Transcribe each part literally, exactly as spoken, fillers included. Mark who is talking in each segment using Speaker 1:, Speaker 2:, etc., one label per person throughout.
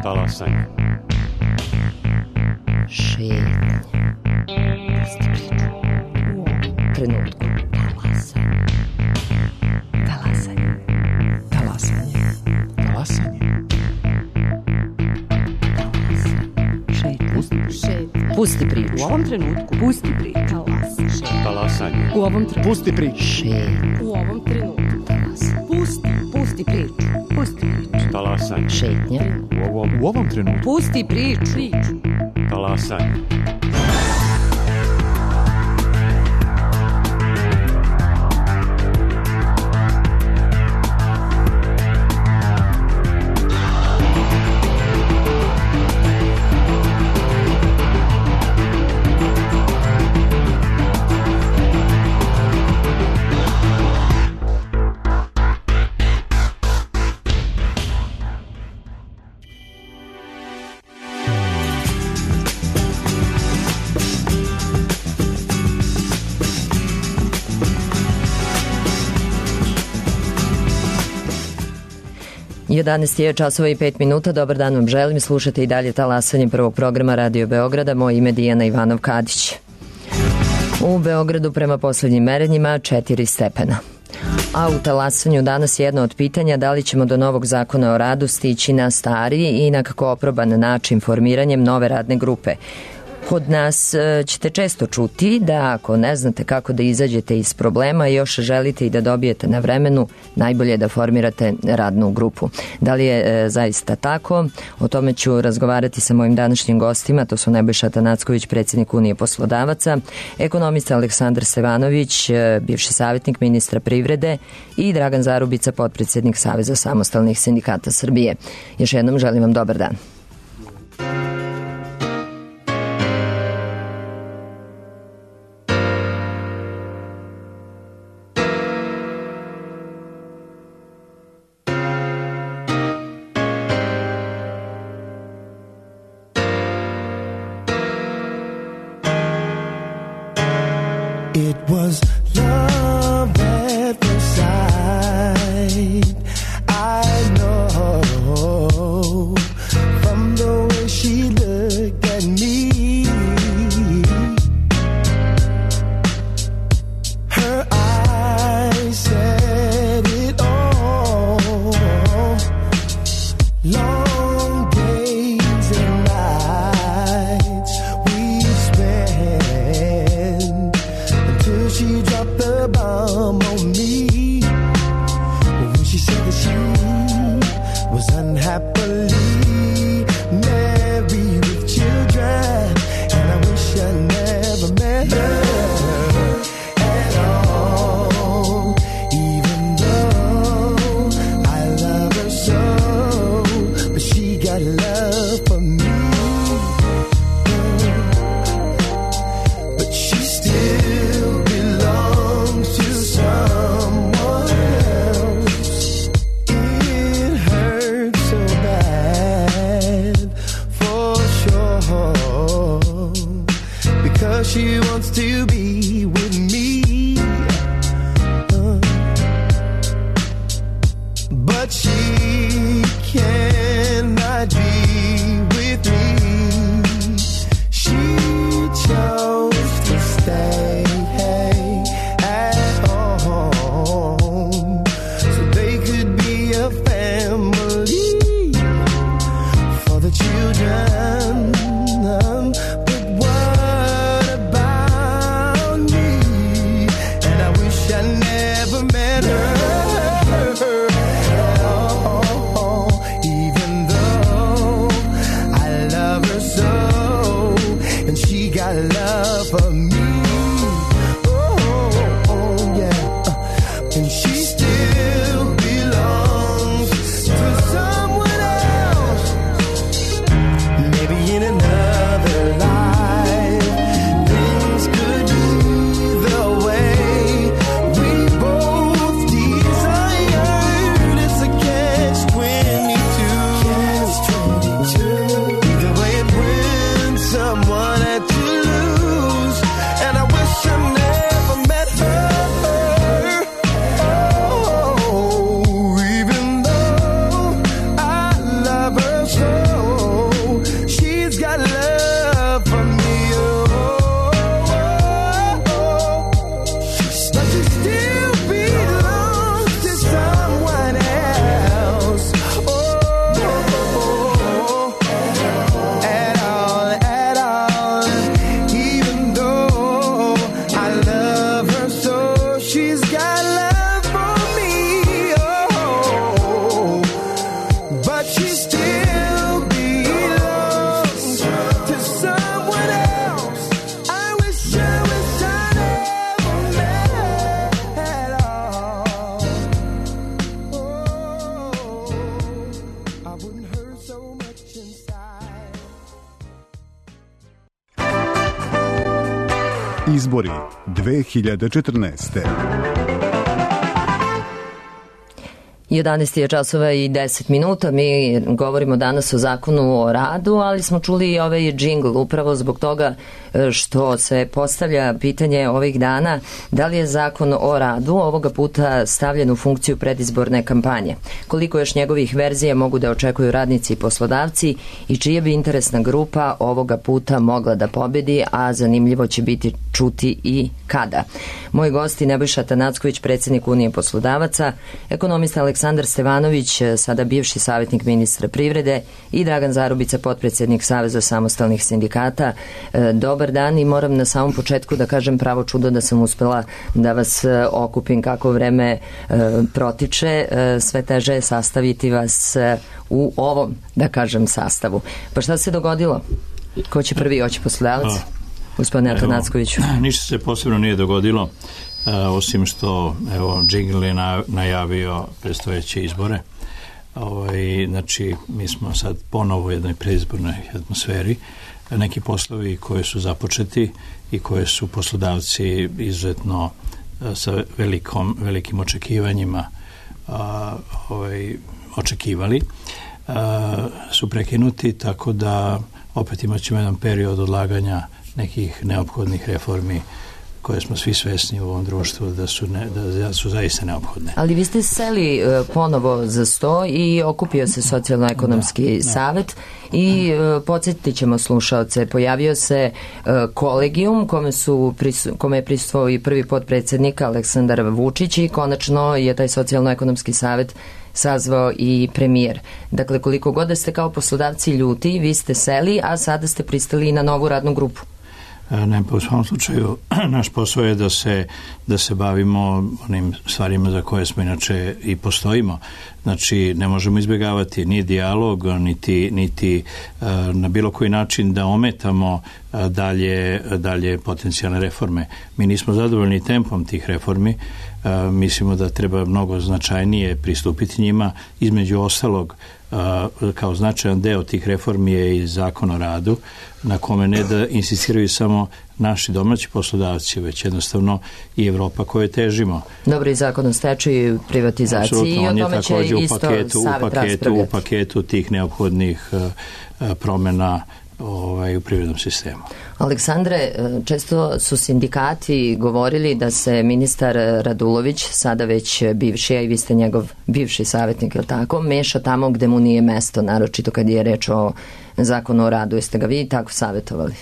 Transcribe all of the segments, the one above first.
Speaker 1: Talasanje.
Speaker 2: Šetnje. Pusti priču. U ovom trenutku. Talasanje. Talasanje. Talasanje.
Speaker 3: Talasanje.
Speaker 2: Šetnje. Šetnje. Pusti priču.
Speaker 4: U ovom trenutku. Pusti priču. Talasanje.
Speaker 1: Talasanje.
Speaker 4: U ovom trenutku.
Speaker 3: Pusti priču.
Speaker 2: Šetnje.
Speaker 4: U ovom trenutku. Talasanje. Pusti. Pusti priču. Pusti priču.
Speaker 1: Talasanje.
Speaker 2: Šetnje.
Speaker 1: U ovom,
Speaker 3: U ovom trenutku.
Speaker 4: Pusti priču. Priču.
Speaker 1: talasanje.
Speaker 2: jedanaest je časova i pet minuta. Dobar dan vam želim. Slušate i dalje talasanje prvog programa Radio Beograda. Moje ime je Dijana Ivanov-Kadić. U Beogradu prema poslednjim merenjima četiri stepena. A u talasanju danas je jedno od pitanja da li ćemo do novog zakona o radu stići na stari i na kako oproban način formiranjem nove radne grupe. Kod nas ćete često čuti da ako ne znate kako da izađete iz problema i još želite i da dobijete na vremenu, najbolje je da formirate radnu grupu. Da li je e, zaista tako? O tome ću razgovarati sa mojim današnjim gostima. To su Nebojša Tanacković, predsjednik Unije poslodavaca, ekonomista Aleksandar Stevanović, e, bivši savjetnik ministra privrede i Dragan Zarubica, potpredsjednik Saveza samostalnih sindikata Srbije. Još jednom želim vam dobar dan.
Speaker 5: It was love at first sight. I know from the way she looked at me. Her eyes said it all. Long days and nights we spent. She dropped the bomb on me when she said that she was unhappily married with children, and I wish I never met her at all. Even though I love her so, but she got love for me. But she still to someone else. It hurts so bad for sure, because she wants to be with me, uh, but she cannot be with me. She chose to stay children, but what about me? And I wish I never met her at all, even though I love her so, and she got love for me. Oh, oh yeah, and she still belongs to someone else. Maybe in another life, things could be the way we both desire. got love for me, oh, but she still belongs to someone else. I wish, I wish I never met her at all. Oh, I wouldn't hurt so much inside.
Speaker 1: Izbori dve hiljade četrnaeste.
Speaker 2: jedanaest je časova i deset minuta. Mi govorimo danas o zakonu o radu, ali smo čuli i ovaj džingl upravo zbog toga što se postavlja pitanje ovih dana da li je zakon o radu ovoga puta stavljen u funkciju predizborne kampanje. Koliko još njegovih verzija mogu da očekuju radnici i poslodavci i čija bi interesna grupa ovoga puta mogla da pobedi, a zanimljivo će biti čuti i kada. Moji gosti Nebojša Tanacković, predsjednik Unije poslodavaca, ekonomista Aleksandar Stevanović, sada bivši savjetnik ministra privrede, i Dragan Zarubica, potpredsjednik Saveza samostalnih sindikata. Dobar dan i moram na samom početku da kažem pravo čudo da sam uspela da vas okupim kako vreme protiče. Sve teže je sastaviti vas u ovom, da kažem, sastavu. Pa šta se dogodilo? Ko će prvi oći, poslodavac? Gospodine Atanackoviću.
Speaker 3: Ništa se posebno nije dogodilo, uh, osim što evo Džingl je na, najavio predstojeće izbore. Ovaj, znači, mi smo sad ponovo u jednoj predizbornoj atmosferi. Neki poslovi koji su započeti i koje su poslodavci izuzetno uh, sa velikom, velikim očekivanjima uh, ovaj, očekivali, uh, su prekinuti, tako da opet imat ćemo jedan period odlaganja nekih neophodnih reformi koje smo svi svesni u ovom društvu da su, ne, da su zaista neophodne.
Speaker 2: Ali vi ste seli uh, ponovo za sto i okupio se socijalno-ekonomski da, savet i uh, podsjetit ćemo slušaoce, pojavio se uh, kolegijum kome, su, prisu, kome je prisustvovao i prvi potpredsjednik Aleksandar Vučić i konačno je taj socijalno-ekonomski savet sazvao i premijer. Dakle, koliko god da ste kao poslodavci ljuti, vi ste seli, a sada ste pristali na novu radnu grupu.
Speaker 3: Ne, pa u svom slučaju naš posao je da se, da se bavimo onim stvarima za koje smo inače i postojimo. Znači, ne možemo izbjegavati ni dijalog, niti, niti uh, na bilo koji način da ometamo uh, dalje, dalje potencijalne reforme. Mi nismo zadovoljni tempom tih reformi. Uh, mislimo da treba mnogo značajnije pristupiti njima. Između ostalog, uh, kao značajan deo tih reformi je i zakon o radu, na kome ne da insistiraju samo naši domaći poslodavci, već jednostavno i Evropa koje težimo.
Speaker 2: Dobro, i zakon o stečaju i privatizaciji.
Speaker 3: Apsolutno,
Speaker 2: i o
Speaker 3: on je
Speaker 2: tome će
Speaker 3: također u
Speaker 2: isto
Speaker 3: paketu, u paketu, u paketu tih neophodnih uh, promjena ovaj, u privrednom sistemu.
Speaker 2: Aleksandre, često su sindikati govorili da se ministar Radulović, sada već bivši, a i vi ste njegov bivši savjetnik, je li tako, meša tamo gde mu nije mesto, naročito kad je reč o zakonu o radu. Jeste ga vi tako savjetovali?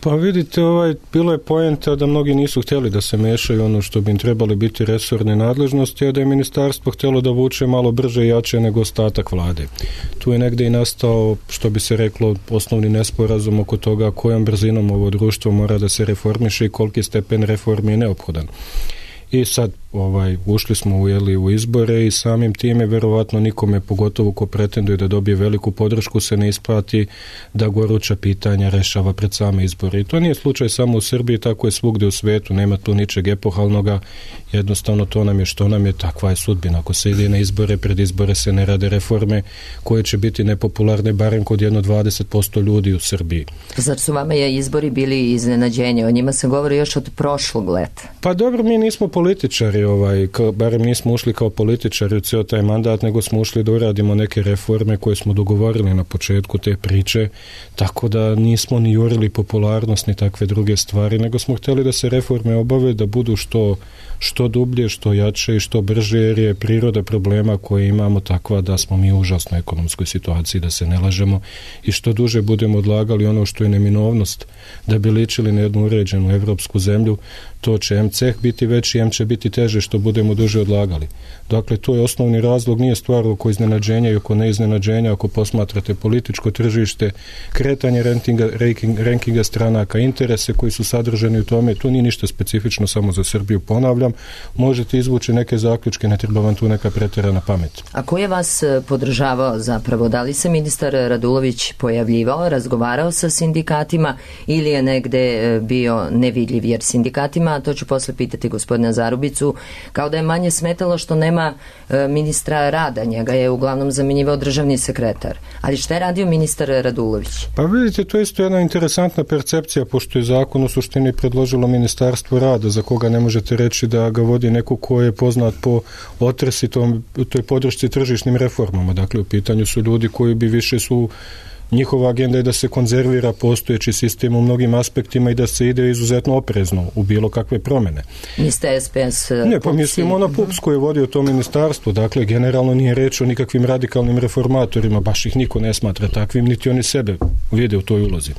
Speaker 6: Pa vidite, ovaj, bilo je poenta da mnogi nisu htjeli da se mešaju ono što bi im trebali biti resorne nadležnosti, a da je ministarstvo htjelo da vuče malo brže i jače nego ostatak vlade. Tu je negdje i nastao, što bi se reklo, osnovni nesporazum oko toga kojom brzinom ovo društvo mora da se reformiše i koliki stepen reformi je neophodan. I sad ovaj, ušli smo u, jeli, u izbore i samim time verovatno nikome, pogotovo ko pretenduje da dobije veliku podršku, se ne isplati da goruća pitanja rešava pred same izbore. I to nije slučaj samo u Srbiji, tako je svugdje u svetu, nema tu ničeg epohalnoga, jednostavno to nam je što nam je, takva je sudbina. Ako se ide na izbore, pred izbore se ne rade reforme koje će biti nepopularne barem kod jedno dvadeset posto ljudi u Srbiji.
Speaker 2: Zar su vama je izbori bili iznenađenje? O njima se govori još od prošlog leta.
Speaker 6: Pa dobro, mi nismo političari, ovaj, kao, barem nismo ušli kao političari u cijel taj mandat, nego smo ušli da uradimo neke reforme koje smo dogovorili na početku te priče, tako da nismo ni jurili popularnost ni takve druge stvari, nego smo htjeli da se reforme obave, da budu što, što dublje, što jače i što brže, jer je priroda problema koje imamo takva da smo mi u užasnoj ekonomskoj situaciji, da se ne lažemo, i što duže budemo odlagali ono što je neminovnost da bi ličili na jednu uređenu evropsku zemlju, to će em ceh biti veći, em će biti teže što budemo duže odlagali. Dakle, to je osnovni razlog, nije stvar oko iznenađenja i oko neiznenađenja, ako posmatrate političko tržište, kretanje rankinga, ranking, rankinga stranaka, interese koji su sadržani u tome, to nije ništa specifično samo za Srbiju, ponavljam, možete izvući neke zaključke, ne treba vam tu neka pretjerana pamet.
Speaker 2: A ko je vas podržavao zapravo? Da li se ministar Radulović pojavljivao, razgovarao sa sindikatima ili je negde bio nevidljiv? Jer sindikatima, a to ću posle pitati gospodina Zarubicu, kao da je manje smetalo što nema ministra rada, njega je uglavnom zamjenjivao državni sekretar. Ali šta je radio ministar Radulović?
Speaker 6: Pa vidite, to je isto jedna interesantna percepcija, pošto je zakon u suštini predložilo Ministarstvo rada, za koga ne možete reći da ga vodi neko ko je poznat po otresitom, toj podršci tržišnim reformama. Dakle, u pitanju su ljudi koji bi više su, njihova agenda je da se konzervira postojeći sistem u mnogim aspektima i da se ide izuzetno oprezno u bilo kakve promjene.
Speaker 2: Niste S P S
Speaker 6: Ne, pa mislimo na P U P S koji je vodio to ministarstvo. Dakle, generalno nije reč o nikakvim radikalnim reformatorima, baš ih niko ne smatra takvim, niti oni sebe vide u toj ulozi.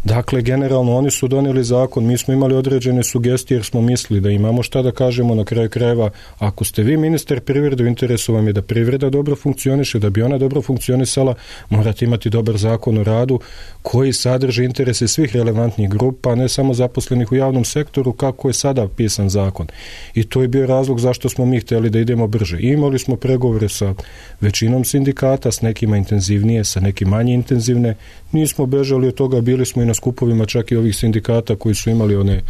Speaker 6: Dakle, generalno oni su donijeli zakon, mi smo imali određene sugestije jer smo mislili da imamo šta da kažemo. Na kraju krajeva, ako ste vi ministar privrede, u interesu vam je da privreda dobro funkcioniše, da bi ona dobro funkcionisala, morate imati dobar zakon o radu koji sadrži interese svih relevantnih grupa, ne samo zaposlenih u javnom sektoru kako je sada pisan zakon. I to je bio razlog zašto smo mi htjeli da idemo brže. I imali smo pregovore sa većinom sindikata, s nekima intenzivnije, sa nekim manje intenzivne. Nismo bežali od toga, bili smo i na skupovima čak i ovih sindikata koji su imali one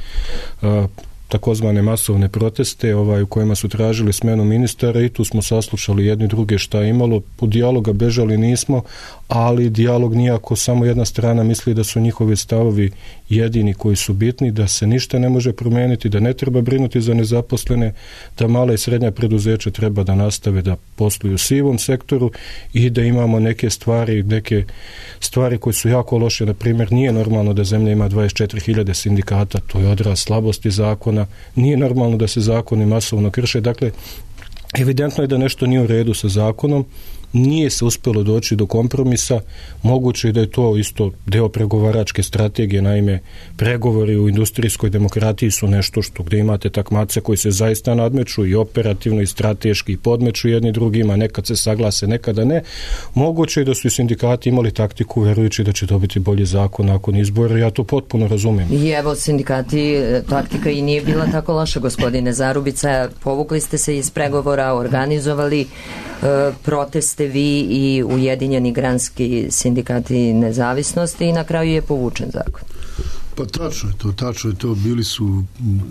Speaker 6: a, takozvane masovne proteste ovaj, u kojima su tražili smenu ministara i tu smo saslušali jedni druge šta je imalo. U dijaloga bežali nismo, ali dijalog nije ako samo jedna strana misli da su njihovi stavovi jedini koji su bitni, da se ništa ne može promijeniti, da ne treba brinuti za nezaposlene, da mala i srednja preduzeća treba da nastave da posluju u sivom sektoru i da imamo neke stvari, neke stvari koje su jako loše. Na primjer, nije normalno da zemlja ima dvadeset četiri hiljade sindikata, to je odraz slabosti zakona, nije normalno da se zakoni masovno krše. Dakle, evidentno je da nešto nije u redu sa zakonom, nije se uspjelo doći do kompromisa, moguće je da je to isto deo pregovaračke strategije, naime pregovori u industrijskoj demokratiji su nešto što gdje imate takmace koji se zaista nadmeću i operativno i strateški i podmeću jedni drugima, nekad se saglase, nekada ne. Moguće je da su i sindikati imali taktiku verujući da će dobiti bolji zakon nakon izbora, ja to potpuno razumijem.
Speaker 2: I evo sindikati, taktika i nije bila tako loša, gospodine Zarubica, povukli ste se iz pregovora, organizovali e, proteste vi i Ujedinjeni granski sindikati nezavisnosti i na kraju je povučen zakon.
Speaker 7: Pa tačno je to, tačno je to, bili su,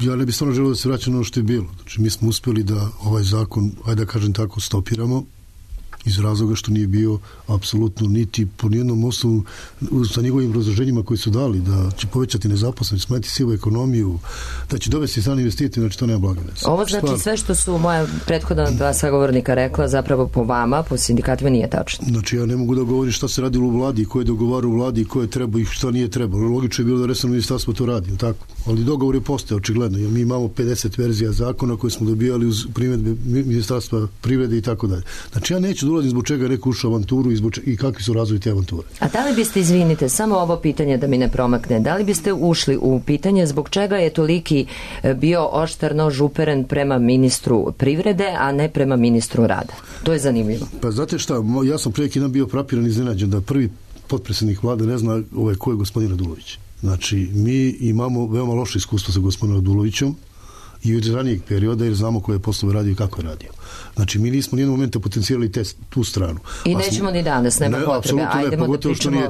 Speaker 7: ja ne bih stvarno želeo da se vraća na ono što je bilo. Znači mi smo uspjeli da ovaj zakon, ajde da kažem tako, stopiramo iz razloga što nije bio apsolutno niti po nijednom osnovu sa njegovim razloženjima koji su dali, da će povećati nezaposlenost, smanjiti sivu ekonomiju, da će dovesti strani investitori, znači to nema blaga veze.
Speaker 2: Ovo znači Stvar... sve što su moja prethodna dva sagovornika rekla zapravo po vama, po sindikatima nije tačno.
Speaker 7: Znači ja ne mogu da govorim šta se radilo u vladi, ko je dogovarao u vladi, ko je trebao i šta nije trebalo. Logično je bilo da resorno ministarstvo to radi, tako? Ali dogovor je postao očigledno, jer mi imamo pedeset verzija zakona koje smo dobijali uz primjedbe ministarstva privrede i tako dalje. Znači ja neću dolazim zbog čega je neko ušao avanturu i, zbog čega, i kakvi su razvoj te avanture.
Speaker 2: A da li biste, izvinite, samo ovo pitanje da mi ne promakne, da li biste ušli u pitanje zbog čega je toliki bio oštar nož uperen prema ministru privrede, a ne prema ministru rada? To je zanimljivo.
Speaker 7: Pa znate šta, ja sam prije neki dan bio frapiran i iznenađen da prvi potpredsjednik vlade ne zna ovaj, ko je gospodin Radulović. Znači, mi imamo veoma loše iskustvo sa gospodinom Radulovićem i od ranijeg perioda jer znamo koje je poslove radio i kako je radio. Znači, mi nismo nijednog momenta potencijali te, tu stranu.
Speaker 2: I nećemo smo, ni danas, nema ne, potrebe. Ajdemo ne, da pričamo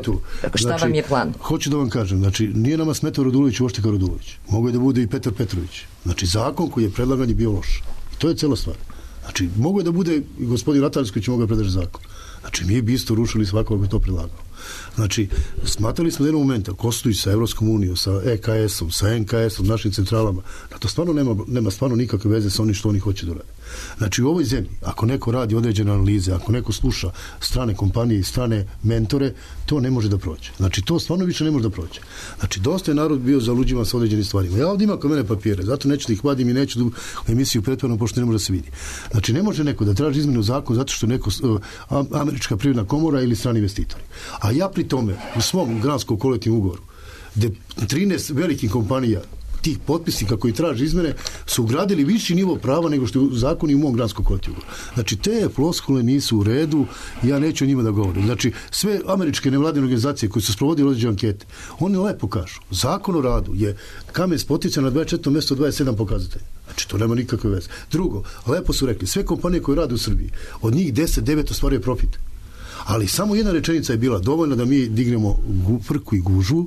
Speaker 2: šta znači, vam je plan.
Speaker 7: Hoću da vam kažem, znači, nije nama smetao Radulović uopšte kao Radulović. Mogu je da bude i Petar Petrović. Znači, zakon koji je predlagan je bio loš. I to je cela stvar. Znači, mogu je da bude i gospodin Ratarski će mogu da predlaže zakon. Znači, mi bi isto rušili svakog bi to predlagao. Znači, smatrali smo da jednog momenta Kostuj sa Evropskom unijom, sa E K S-om, sa N K S-om, našim centralama, da to stvarno nema, nema stvarno nikakve veze sa onim što oni hoće da rade. Znači, u ovoj zemlji, ako neko radi određene analize, ako neko sluša strane kompanije i strane mentore, to ne može da prođe. Znači, to stvarno više ne može da prođe. Znači, dosta je narod bio zaluđivan sa određenim stvarima. Ja ovdje imam kod mene papire, zato neću da ih vadim i neću da u emisiju pretvarno, pošto ne može da se vidi. Znači, ne može neko da traži izmenu zakon zato što neko uh, Američka privredna komora ili strani investitori. A ja pri tome, u svom granskom kolektivnom ugovoru, gde trinaest velikih kompanija tih potpisnika koji traže izmene su ugradili viši nivo prava nego što je u zakonu i u mom granskom kolektivu. Znači, te floskule nisu u redu, ja neću o njima da govorim. Znači, sve američke nevladine organizacije koje su sprovodili određene ankete, oni lepo kažu, zakon o radu je kamen spotica na dvadeset četvrtom mjestu dvadeset sedam pokazatelja. Znači, to nema nikakve veze. Drugo, lepo su rekli, sve kompanije koje rade u Srbiji, od njih deset devet ostvaruje profit. Ali samo jedna rečenica je bila dovoljna da mi dignemo frku i gužu.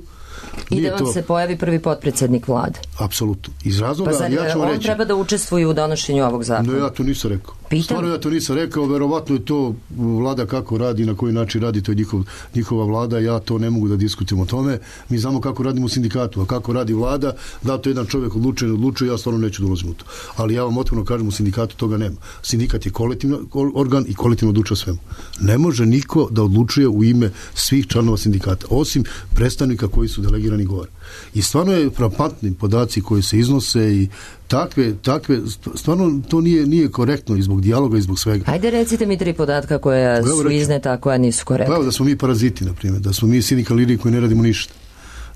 Speaker 2: I da vam to... se pojavi prvi potpredsjednik vlade.
Speaker 7: Apsolutno. Iz razloga,
Speaker 2: pa zar,
Speaker 7: ja ću vam
Speaker 2: on
Speaker 7: reći...
Speaker 2: treba da učestvuje u donošenju ovog zakona?
Speaker 7: No, ja to nisam rekao.
Speaker 2: Pitam?
Speaker 7: Stvarno ja to nisam rekao, verovatno je to vlada kako radi, na koji način radi, to je njihov, njihova vlada, ja to ne mogu da diskutujem o tome. Mi znamo kako radimo u sindikatu, a kako radi vlada, da to jedan čovjek odlučuje, ne odlučuje, ja stvarno neću dolaziti u to. Ali ja vam otvoreno kažem, u sindikatu toga nema. Sindikat je kolektivni organ i kolektivno odlučuje svemu. Ne može niko da odlučuje u ime svih članova sindikata, osim predstavnika koji su delegirani gore. I stvarno je frapantni podaci koji se iznose i takve, takve stvarno to nije, nije korektno i zbog dijaloga i zbog svega.
Speaker 2: Ajde recite mi tri podatka koja su izneta, a koja nisu korektna.
Speaker 7: Evo da smo mi paraziti, na primjer, da smo mi sindikalni lideri koji ne radimo ništa.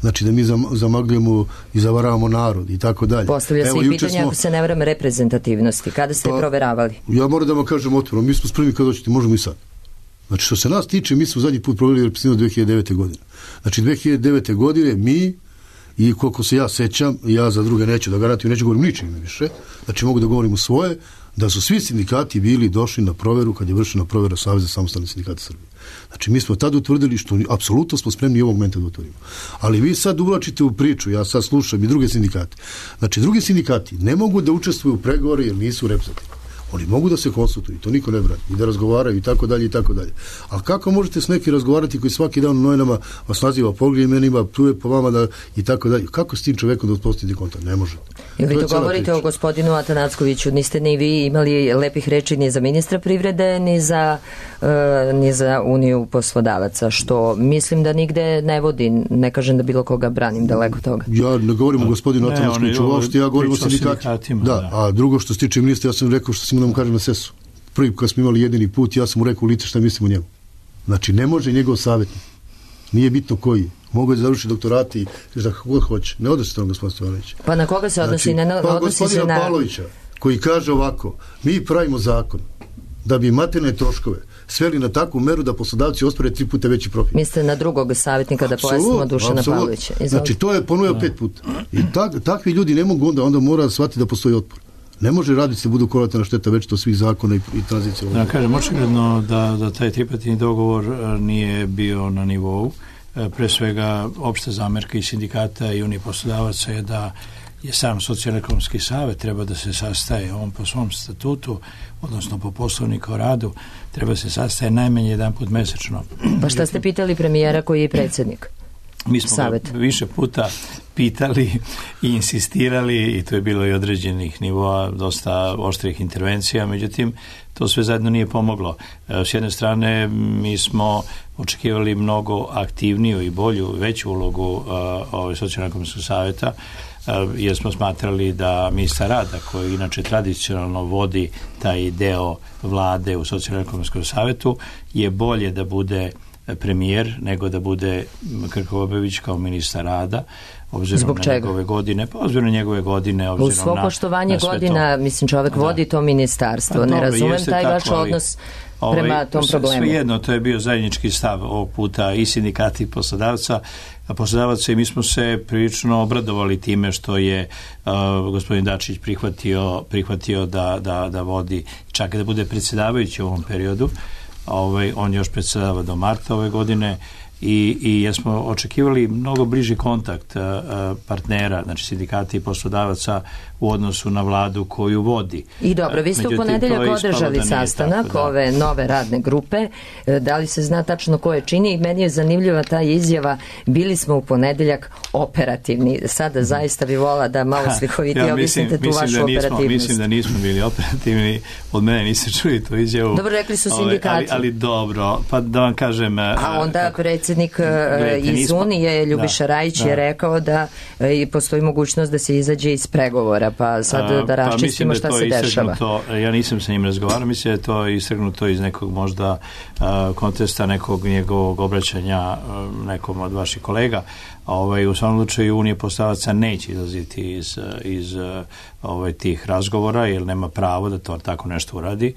Speaker 7: Znači da mi zamagljujemo i zavaravamo narod i tako dalje.
Speaker 2: Postavlja se i pitanje, smo... ako se ne varam, reprezentativnosti. Kada ste pa, proveravali?
Speaker 7: Ja moram da vam kažem otvoreno, mi smo spremni kad hoćete, možemo i sad. Znači što se nas tiče, mi smo zadnji put proveli reprezentativnost dve hiljade devete. godine. Znači dve hiljade devete. godine mi i koliko se ja sećam, ja za druge neću da garantujem, neću govorim ničim više, znači mogu da govorim u svoje, da su svi sindikati bili došli na proveru kad je vršena provera Saveza samostalnih sindikata Srbije. Znači mi smo tad utvrdili što apsolutno smo spremni i ovog momenta da utvorimo. Ali vi sad uvlačite u priču, ja sad slušam i druge sindikate. Znači drugi sindikati ne mogu da učestvuju u pregovore jer nisu reprezentativni. Oni mogu da se konsultuju, to niko ne brani, i da razgovaraju i tako dalje i tako dalje. Ali kako možete s neki razgovarati koji svaki dan u novinama vas naziva pogrijemenima, pljuje po vama da i tako dalje. Kako s tim čovekom da uspostavite kontakt? Ne može.
Speaker 2: Ili vi to govorite priča o gospodinu Atanackoviću, niste ni vi imali lepih reči ni za ministra privrede, ni za, uh, ni za Uniju poslodavaca, što mislim da nigde ne vodi, ne kažem da bilo koga branim, daleko toga.
Speaker 7: Ja ne govorim o gospodinu Atanackoviću, uopšte ja govorim o sindikatima. Da, da, a drugo što se tiče ministra, ja sam rekao što sam da mu kažem na sesu. Prvi kad smo imali jedini put, ja sam mu rekao u lice šta mislim o njemu. Znači, ne može njegov savjetnik. Nije bitno koji. Mogu da završi doktorati i da kako hoće. Ne odnosi to na gospodina Stevanovića.
Speaker 2: Pa na koga se odnosi?
Speaker 7: Znači,
Speaker 2: ne,
Speaker 7: pa
Speaker 2: odnosi
Speaker 7: gospodina
Speaker 2: se na...
Speaker 7: Pavlovića, koji kaže ovako, mi pravimo zakon da bi materijalne troškove sveli na takvu meru da poslodavci ospore tri puta veći profit.
Speaker 2: Mislite na drugog savjetnika da pojasnimo Dušana Pavlovića?
Speaker 7: Znači, to je ponovio pet puta. I tak, takvi ljudi ne mogu onda, onda mora shvatiti da postoji otpor. Ne može raditi se budu kolateralna šteta već to svih zakona i, i tranzicija.
Speaker 3: Da, kažem, očigledno da, da taj tripartitni dogovor nije bio na nivou. Pre svega, opšta zamerka i sindikata i Unije poslodavaca je da je sam socijalno-ekonomski savet treba da se sastaje, on po svom statutu, odnosno po poslovniku o radu, treba se sastaje najmanje jedan put mesečno.
Speaker 2: Pa šta ste pitali premijera koji je predsjednik?
Speaker 3: Mi smo više puta pitali i insistirali i to je bilo i određenih nivoa, dosta oštrih intervencija, međutim to sve zajedno nije pomoglo. S jedne strane mi smo očekivali mnogo aktivniju i bolju, veću ulogu uh, socijalno-ekonomskog savjeta, uh, jer smo smatrali da ministar rada, koji inače tradicionalno vodi taj deo vlade u socijalno-ekonomskom savjetu, je bolje da bude premijer nego da bude Krkobabić kao ministar rada, obzirom
Speaker 2: Zbog
Speaker 3: na
Speaker 2: čega?
Speaker 3: njegove godine, pa obzirom na njegove godine, obzirom
Speaker 2: u svo
Speaker 3: na,
Speaker 2: poštovanje
Speaker 3: na
Speaker 2: godina,
Speaker 3: to.
Speaker 2: Mislim, čovjek da. vodi to ministarstvo. Pa, ne dobro, razumem taj tako, vaš odnos ovaj, prema tom problemu.
Speaker 3: Svejedno, to je bio zajednički stav ovog puta i sindikati i poslodavca, a poslodavaca i mi smo se prilično obradovali time što je uh, gospodin Dačić prihvatio, prihvatio da, da, da vodi, čak da bude predsjedavajući u ovom periodu. Ovaj, on još predsjedava do marta ove godine i, i jesmo očekivali mnogo bliži kontakt uh, partnera, znači sindikati i poslodavaca u odnosu na vladu koju vodi.
Speaker 2: I dobro, vi ste u ponedeljak održali sastanak tako, da. ove nove radne grupe. Da li se zna tačno ko je čini? I meni je zanimljiva ta izjava, bili smo u ponedeljak operativni. Sada zaista bi vola da malo slikovitije ja, objasnite tu vašu operativnost.
Speaker 3: Mislim da nismo bili operativni, od mene niste čuli tu izjavu.
Speaker 2: Dobro, rekli su sindikati.
Speaker 3: Ali, ali dobro, pa da vam kažem...
Speaker 2: A onda predsjednik predsjednik
Speaker 3: Gledajte,
Speaker 2: iz
Speaker 3: nismo-
Speaker 2: Unije, Ljubiša
Speaker 3: da,
Speaker 2: Rajić,
Speaker 3: da.
Speaker 2: je rekao da e, postoji mogućnost da se izađe iz pregovora, pa sad da
Speaker 3: Pa
Speaker 2: raščistimo
Speaker 3: mislim
Speaker 2: šta
Speaker 3: da je
Speaker 2: se
Speaker 3: to
Speaker 2: dešava.
Speaker 3: istrgnuto, ja nisam sa njim razgovarao, mislim da je to istrgnuto iz nekog možda a, kontesta nekog njegovog obraćanja a, nekom od vaših kolega. A, ovaj, u svakom slučaju Unije poslodavaca neće izlaziti iz, iz ovaj, tih razgovora, jer nema pravo da to tako nešto uradi.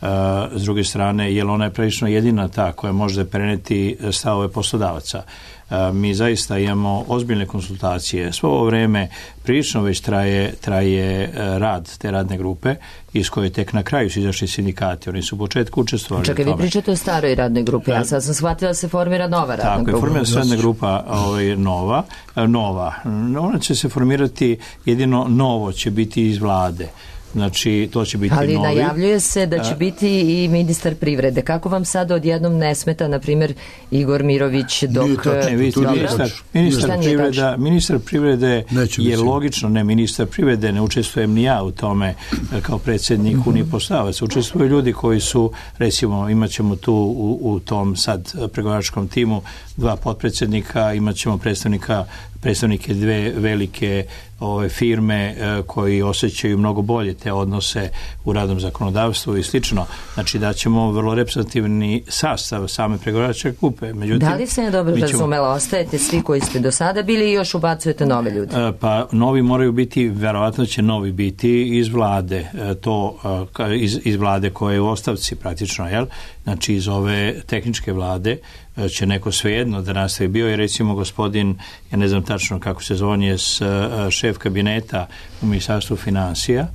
Speaker 3: Uh, s druge strane, jer ona je prilično jedina ta koja može preneti stavove poslodavaca. Uh, mi zaista imamo ozbiljne konsultacije. Svo ovo vreme prilično već traje, traje uh, rad te radne grupe, iz koje tek na kraju su izašli sindikati. Oni su u početku učestvovali
Speaker 2: Čekaj,
Speaker 3: u
Speaker 2: vi
Speaker 3: tome.
Speaker 2: pričate o staroj radnoj grupi, ja sad sam shvatila da se formira nova radna
Speaker 3: Tako je,
Speaker 2: grupa.
Speaker 3: formira se radna grupa ovaj, nova, nova. Ona će se formirati, jedino novo će biti iz vlade. Znači, to će biti
Speaker 2: Ali
Speaker 3: novi.
Speaker 2: najavljuje se da će biti i ministar privrede. Kako vam sad odjednom ne smeta, na primjer, Igor Mirović dok...
Speaker 7: Nije tačno.
Speaker 3: Ne, vi ste
Speaker 7: To nije
Speaker 3: ministar,
Speaker 7: tačno.
Speaker 3: ministar,
Speaker 2: Šta nije
Speaker 3: privreda,
Speaker 2: tačno?
Speaker 3: ministar privrede
Speaker 7: Neće
Speaker 3: je
Speaker 7: biti.
Speaker 3: logično, ne ministar privrede, ne učestvujem ni ja u tome e, kao predsjednik Unije poslodavaca. Učestvuju ljudi koji su, recimo, imat ćemo tu u, u tom sad pregovaračkom timu dva potpredsjednika, imat ćemo predstavnika predstavnike dve velike ove firme e, koji osjećaju mnogo bolje te odnose u radnom zakonodavstvu i slično. Znači da ćemo vrlo reprezentativni sastav same pregovaračke grupe. Međutim,
Speaker 2: Da li se ne dobro
Speaker 3: mi ćemo-
Speaker 2: razumela, ostajete svi koji ste do sada bili i još ubacujete nove ljude?
Speaker 3: E, Pa novi moraju biti, verovatno će novi biti iz vlade, e, to e, ka- iz, iz vlade koje je u ostavci praktično, jel? Znači iz ove tehničke vlade e, će neko svejedno da nastavi. Bio je recimo gospodin, ja ne znam tačno kako se zove, on je s, e, šef kabineta u Ministarstvu financija,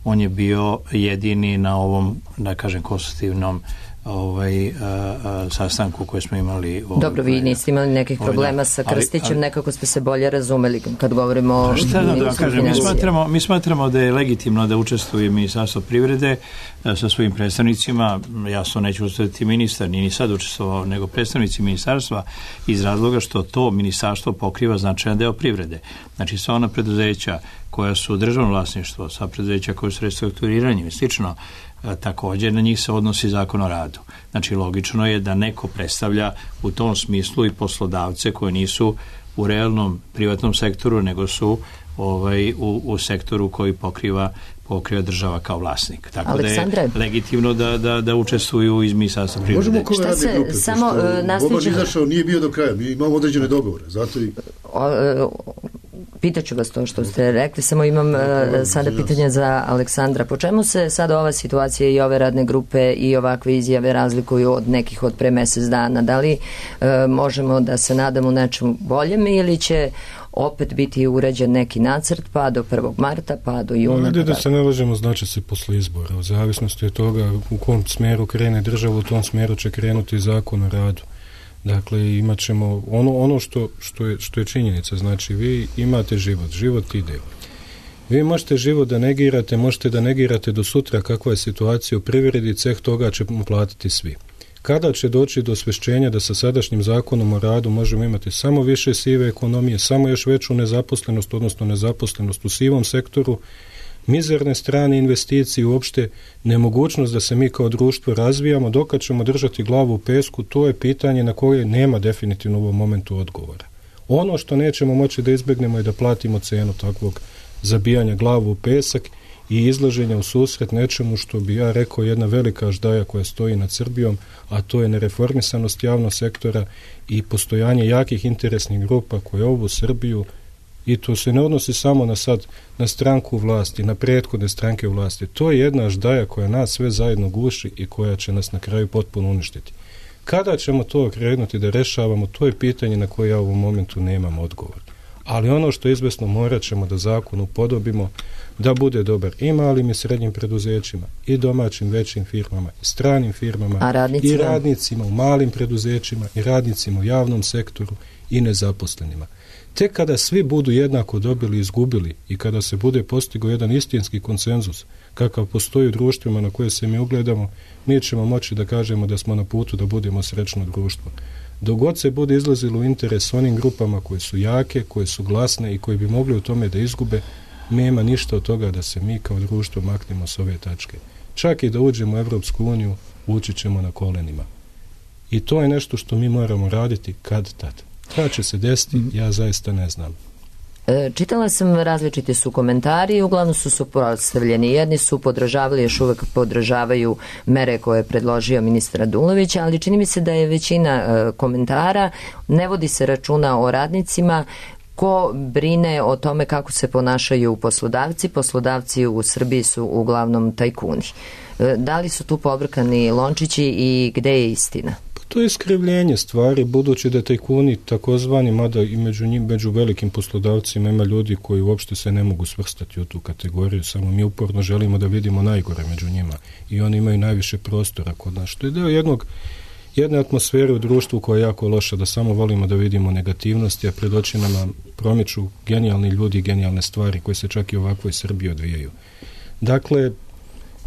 Speaker 3: on je bio jedini na ovom, da kažem, konstitutivnom ovaj, a, a, sastanku koji smo imali. Ovaj,
Speaker 2: Dobro, vi niste imali nekih
Speaker 3: ovaj,
Speaker 2: problema
Speaker 3: da.
Speaker 2: sa
Speaker 3: Ali-
Speaker 2: Krstićem,
Speaker 3: ali-
Speaker 2: nekako ste se bolje razumeli kad govorimo o
Speaker 3: Šta da, da vam
Speaker 2: ministru
Speaker 3: kažem, mi
Speaker 2: financija.
Speaker 3: smatramo, mi smatramo da je legitimno da učestvuje Ministarstvo privrede e, sa svojim predstavnicima. Jasno neće učestvovati ministar, nije ni sad učestvovao, nego predstavnici ministarstva, iz razloga što to ministarstvo pokriva značajan deo privrede. Znači sva ona preduzeća koja su državno vlasništvo, sva preduzeća koja su restrukturiranje i slično, e, također na njih se odnosi Zakon o radu. Znači logično je da neko predstavlja u tom smislu i poslodavce koji nisu u realnom privatnom sektoru, nego su ovaj, u, u sektoru koji pokriva pokriva država kao vlasnik. Tako
Speaker 2: Aleksandre.
Speaker 3: da je legitimno da, da, da učestvuju iz Ministarstva privrede.
Speaker 7: Možemo kome
Speaker 2: Šta
Speaker 7: radne
Speaker 2: se
Speaker 7: grupe,
Speaker 2: samo,
Speaker 7: pošto
Speaker 2: e, nastavit
Speaker 7: Boban
Speaker 2: ćemo-
Speaker 7: izašao, nije bio do kraja, mi imamo određene dogovore, zato i
Speaker 2: O, e, Pitaću vas to što ste rekli, samo imam e, sada pitanje za Aleksandra. Po čemu se sada ova situacija i ove radne grupe i ovakve izjave razlikuju od nekih od pre mesec dana? Da li e, možemo da se nadamo nečemu boljem ili će opet biti urađen neki nacrt pa do prvog marta, pa do juna?
Speaker 6: Ovdje
Speaker 2: pa
Speaker 6: da
Speaker 2: tako?
Speaker 6: se ne lažemo, znači se posle izbora. U zavisnosti od toga u kom smjeru krene država, u tom smjeru će krenuti Zakon o radu. Dakle, imat ćemo ono, ono što, što, je, što je činjenica. Znači, vi imate život, život ide. Vi možete život da negirate, možete da negirate do sutra kakva je situacija u privredi, ceh toga ćemo platiti svi. Kada će doći do osvešćenja da sa sadašnjim zakonom o radu možemo imati samo više sive ekonomije, samo još veću nezaposlenost, odnosno nezaposlenost u sivom sektoru, mizerne strane investicije, uopšte nemogućnost da se mi kao društvo razvijamo, dok ćemo držati glavu u pesku, to je pitanje na koje nema definitivno u ovom momentu odgovora. Ono što nećemo moći da izbjegnemo je da platimo cenu takvog zabijanja glavu u pesak i izlaženja u susret nečemu što bi ja rekao jedna velika ždaja koja stoji nad Srbijom, a to je nereformisanost javnog sektora i postojanje jakih interesnih grupa koje ovu Srbiju, i to se ne odnosi samo na sad na stranku vlasti, na prethodne stranke vlasti. To je jedna ždaja koja nas sve zajedno guši i koja će nas na kraju potpuno uništiti. Kada ćemo to krenuti da rešavamo, to je pitanje na koje ja u ovom momentu nemam odgovor. Ali ono što je izvesno, morat ćemo da zakon upodobimo da bude dobar i malim i srednjim preduzećima, i domaćim većim firmama, i stranim firmama,
Speaker 2: A radnicima?
Speaker 6: i radnicima u malim preduzećima, i radnicima u javnom sektoru, i nezaposlenima. Tek kada svi budu jednako dobili i izgubili i kada se bude postigao jedan istinski konsenzus kakav postoji u društvima na koje se mi ugledamo, mi ćemo moći da kažemo da smo na putu da budemo srećno društvo. Dok god se bude izlazilo u interes onim grupama koje su jake, koje su glasne i koje bi mogli u tome da izgube, nema ništa od toga da se mi kao društvo maknemo s ove tačke. Čak i da uđemo u Evropsku uniju, ući ćemo na kolenima. I to je nešto što mi moramo raditi kad tad. Kada će se desiti, ja zaista ne znam.
Speaker 2: Čitala sam, različiti su komentari, uglavnom su suprotstavljeni. Jedni su podržavali, još uvek podržavaju mere koje je predložio ministar Radulović, ali čini mi se da je većina komentara, ne vodi se računa o radnicima, ko brine o tome kako se ponašaju poslodavci. Poslodavci u Srbiji su uglavnom tajkuni. Da li su tu pobrkani lončići i gde je istina?
Speaker 6: To je iskrivljenje stvari, budući da tajkuni takozvani, mada i među njim, među velikim poslodavcima ima ljudi koji uopšte se ne mogu svrstati u tu kategoriju, samo mi uporno želimo da vidimo najgore među njima i oni imaju najviše prostora kod nas, što je deo jednog jedne atmosfere u društvu koja je jako loša, da samo volimo da vidimo negativnosti, a pred očima nam promiču genijalni ljudi i genijalne stvari koje se čak i ovakvoj Srbiji odvijaju. Dakle,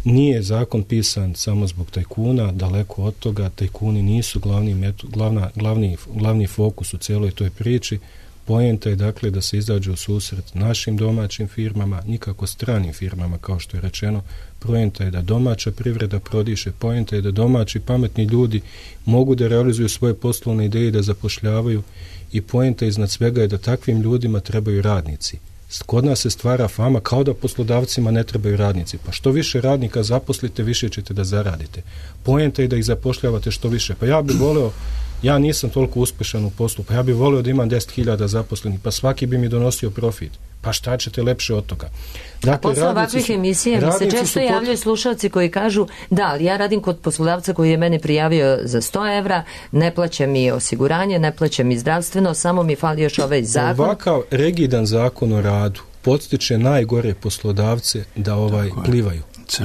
Speaker 6: nije zakon pisan samo zbog tajkuna, daleko od toga, tajkuni nisu glavni, metu, glavna, glavni, glavni fokus u cijeloj toj priči. Poenta je dakle da se izađe u susret našim domaćim firmama, nikako stranim firmama kao što je rečeno. Poenta je da domaća privreda prodiše, poenta je da domaći pametni ljudi mogu da realizuju svoje poslovne ideje, da zapošljavaju i poenta iznad svega je da takvim ljudima trebaju radnici. Kod nas se stvara fama kao da poslodavcima ne trebaju radnici. Pa što više radnika zaposlite, više ćete da zaradite. Poenta je da ih zapošljavate što više. Pa ja bih voleo, ja nisam toliko uspešan u poslu, pa ja bih voleo da imam deset hiljada zaposlenih, pa svaki bi mi donosio profit. Pa šta ćete lepše od toga?
Speaker 2: Dakle, a posle ovakvih emisija mi se često javljaju slušalci koji kažu da, ali ja radim kod poslodavca koji je mene prijavio za sto evra, ne plaća mi osiguranje, ne plaća mi zdravstveno, samo mi fali još ovaj zakon.
Speaker 6: Ovakav rigidan zakon o radu podstiče najgore poslodavce da ovaj plivaju.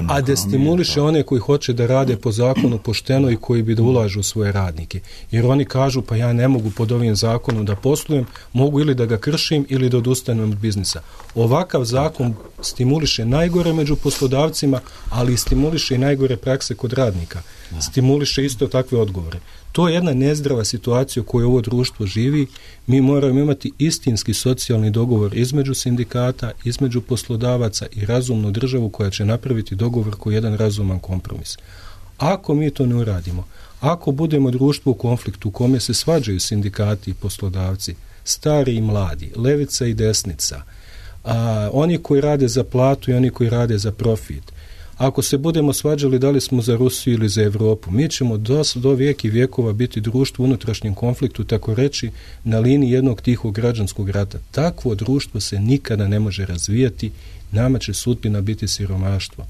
Speaker 6: A destimuliše one koji hoće da rade po zakonu pošteno i koji bi da ulažu u svoje radnike. Jer oni kažu, pa ja ne mogu pod ovim zakonom da poslujem, mogu ili da ga kršim ili da odustanem od biznisa. Ovakav zakon stimuliše najgore među poslodavcima, ali stimuliše i najgore prakse kod radnika. Stimuliše isto takve odgovore. To je jedna nezdrava situacija u kojoj ovo društvo živi. Mi moramo imati istinski socijalni dogovor između sindikata, između poslodavaca i razumnu državu koja će napraviti dogovor koji je jedan razuman kompromis. Ako mi to ne uradimo, ako budemo društvo u konfliktu u kome se svađaju sindikati i poslodavci, stari i mladi, levica i desnica, a, oni koji rade za platu i oni koji rade za profit, ako se budemo svađali da li smo za Rusiju ili za Evropu, mi ćemo do, do vijeki vijekova biti društvo u unutrašnjem konfliktu, tako reći, na liniji jednog tihog građanskog rata. Takvo društvo se nikada ne može razvijati, nama će sudbina biti siromaštvo.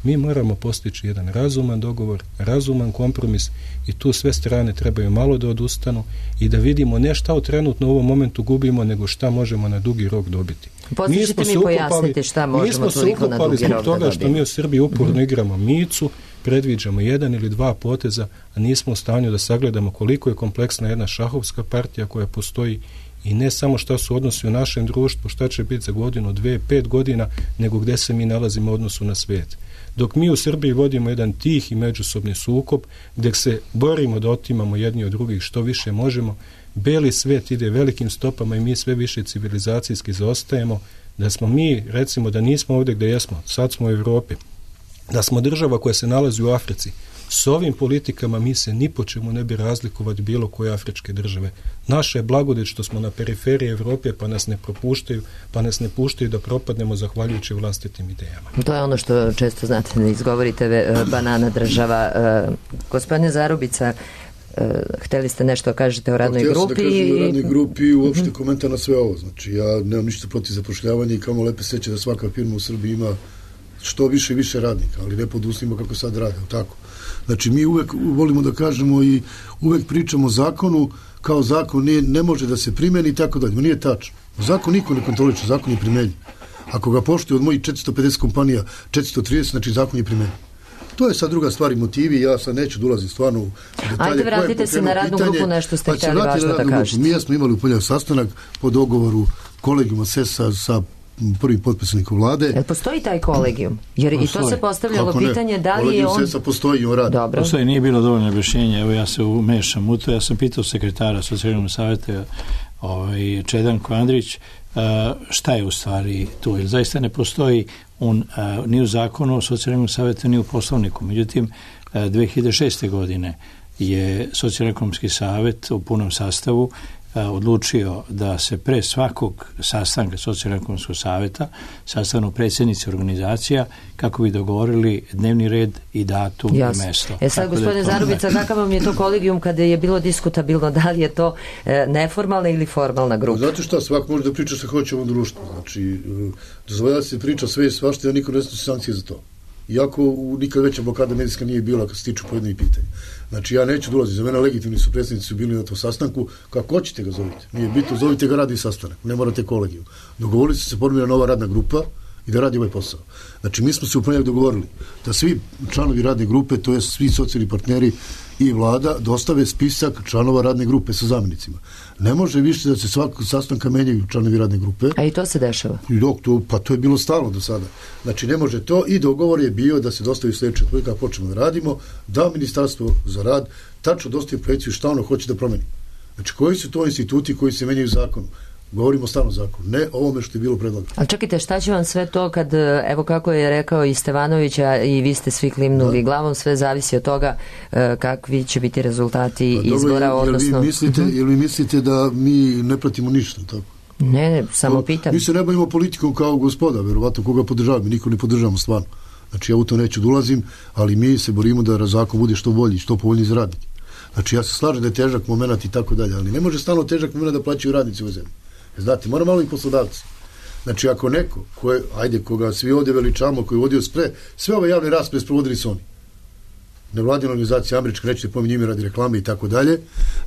Speaker 6: Mi moramo postići jedan razuman dogovor, razuman kompromis i tu sve strane trebaju malo da odustanu i da vidimo ne šta u trenutno u ovom momentu gubimo, nego šta možemo na dugi rok dobiti.
Speaker 2: Posljedite mi pojasniti šta možemo toliko na dugi rok da dobijemo. Mi smo se ukupali zbog toga što mi u Srbiji uporno mm-hmm. igramo micu, predviđamo jedan ili dva poteza, a nismo u stanju da sagledamo koliko je kompleksna jedna šahovska partija koja postoji i ne samo šta su odnosi u našem društvu, šta će biti za godinu, dve, pet godina, nego gde se mi nalazimo u odnosu na svijet. Dok mi u Srbiji vodimo jedan tih i međusobni sukob, gdje se borimo da otimamo jedni od drugih što više možemo, beli svijet ide velikim stopama i mi sve više civilizacijski zaostajemo, da smo mi, recimo, da nismo ovdje gdje jesmo, sad smo u Evropi, da smo država koja se nalazi u Africi, s ovim politikama mi se ni po čemu ne bi razlikovati bilo koje afričke države. Naša je blagodet što smo na periferiji Evrope, pa nas ne propuštaju, pa nas ne puštaju da propadnemo zahvaljujući vlastitim idejama. To je ono što često znate da izgovorite, banana država. Gospodine Zarubica, hteli ste nešto kažete o radnoj
Speaker 7: Htio
Speaker 2: grupi?
Speaker 7: Htio sam da kažem o radnoj grupi i uopšte mm-hmm. komentar na sve ovo. Znači, ja nemam ništa protiv zapošljavanja i kamo lepe seće da svaka firma u Srbiji ima što više i više radnika, ali ne pod uslovima kako sad rade, tako. Znači, mi uvek volimo da kažemo i uvek pričamo o zakonu kao zakon ne, ne može da se primeni i tako dalje. Nije tačno. Zakon niko ne kontroliče, zakon je primenjen. Ako ga poštuje od mojih četiristo pedeset kompanija četiristo trideset, znači zakon je primenjen. To je sad druga stvar i motivi, ja sad neću dolaziti stvarno u detalje.
Speaker 2: Ajde, vratite se na radnu pitanje, grupu, nešto ste htjeli važno da kažete.
Speaker 7: Mi smo imali u ponedjeljak sastanak po dogovoru kolegijuma S E S-a sa prvi potpisnikom vlade.
Speaker 2: Jel postoji taj kolegijum? Jer postoji. I to se postavljalo pitanje da li je
Speaker 7: kolegijum
Speaker 2: on...
Speaker 7: S E S-a postoji i on radi.
Speaker 2: Dobro.
Speaker 3: Postoji, nije bilo dovoljno objašnjenja, evo ja se umešam u to, ja sam pitao sekretara Socijalnog savjeta ovaj, Čedanko Andrić šta je u stvari tu, jer zaista ne postoji on, ni u zakonu o Socijalnom savjetu, ni u poslovniku. Međutim, dve hiljade šeste. godine je Socijalno-ekonomski savjet u punom sastavu odlučio da se pre svakog sastanka Socijalno-ekonomskog savjeta sastanu predsjednici organizacija kako bi dogovorili dnevni red i datum
Speaker 2: Jasne.
Speaker 3: i mesto.
Speaker 2: E sad, gospodine Zarubica, kakav vam je to kolegijum kada je bilo diskutabilno, da li je to e, neformalna ili formalna grupa?
Speaker 7: Znate šta, svak može da priča što hoće u ovom društvu. Znači, dozvoljava se priča sve i svašta, ja niko ne snosi sankcije za to. Iako nikad veća blokada medijska nije bila kad se tiču pojedinih pitanja. Znači, ja neću dolaziti. Za mene legitimni su predstavnici su bili na tom sastanku. Kako hoćete ga zovite? Nije bitno, zovite ga radi sastanak. Ne morate kolegiju. Dogovorili su se formira nova radna grupa i da radi ovaj posao. Znači, mi smo se u ponedjeljak dogovorili da svi članovi radne grupe, to je svi socijalni partneri i vlada, dostave spisak članova radne grupe sa zamjenicima. Ne može više da se svakog sastanka menjaju članovi radne grupe.
Speaker 2: A i to se dešava?
Speaker 7: I dok to, pa to je bilo stalno do sada. Znači, ne može to i dogovor je bio da se dostavi sljedeće koje kako počnemo da radimo, da Ministarstvo za rad tačno dostavi projekciju šta ono hoće da promeni. Znači, koji su to instituti koji se menjaju zakonu? Govorimo stalno zakon, ne ovome što je bilo predlagano.
Speaker 2: Ali čekajte, šta će vam sve to kad, evo kako je rekao i Stevanovića i vi ste svi klimnuli da. glavom, sve zavisi od toga kakvi će biti rezultati pa, izbora, dobro, odnosno...
Speaker 7: Jel vi mislite, uh-huh. jel vi mislite da mi ne pratimo ništa, tako?
Speaker 2: Ne, ne, samo no, pitam.
Speaker 7: Mi se ne bavimo politikom kao gospoda, verovatno koga podržavamo, niko ne podržavamo stvarno. Znači, ja u to neću da ulazim, ali mi se borimo da zakon bude što bolji, što povoljniji za radnike. Znači, ja se slažem da je težak moment i tako dalje, ali ne može stalno težak moment da plaćaju radnici u ovoj zemlji. Znate, mora malo i poslodavci. Znači, ako neko, koje, ajde, koga svi ovdje veličamo, koji je vodio spre, sve ove javne rasprave sprovodili su oni. Nevladina organizacija američka, nećete pominjati ime radi reklame i tako dalje.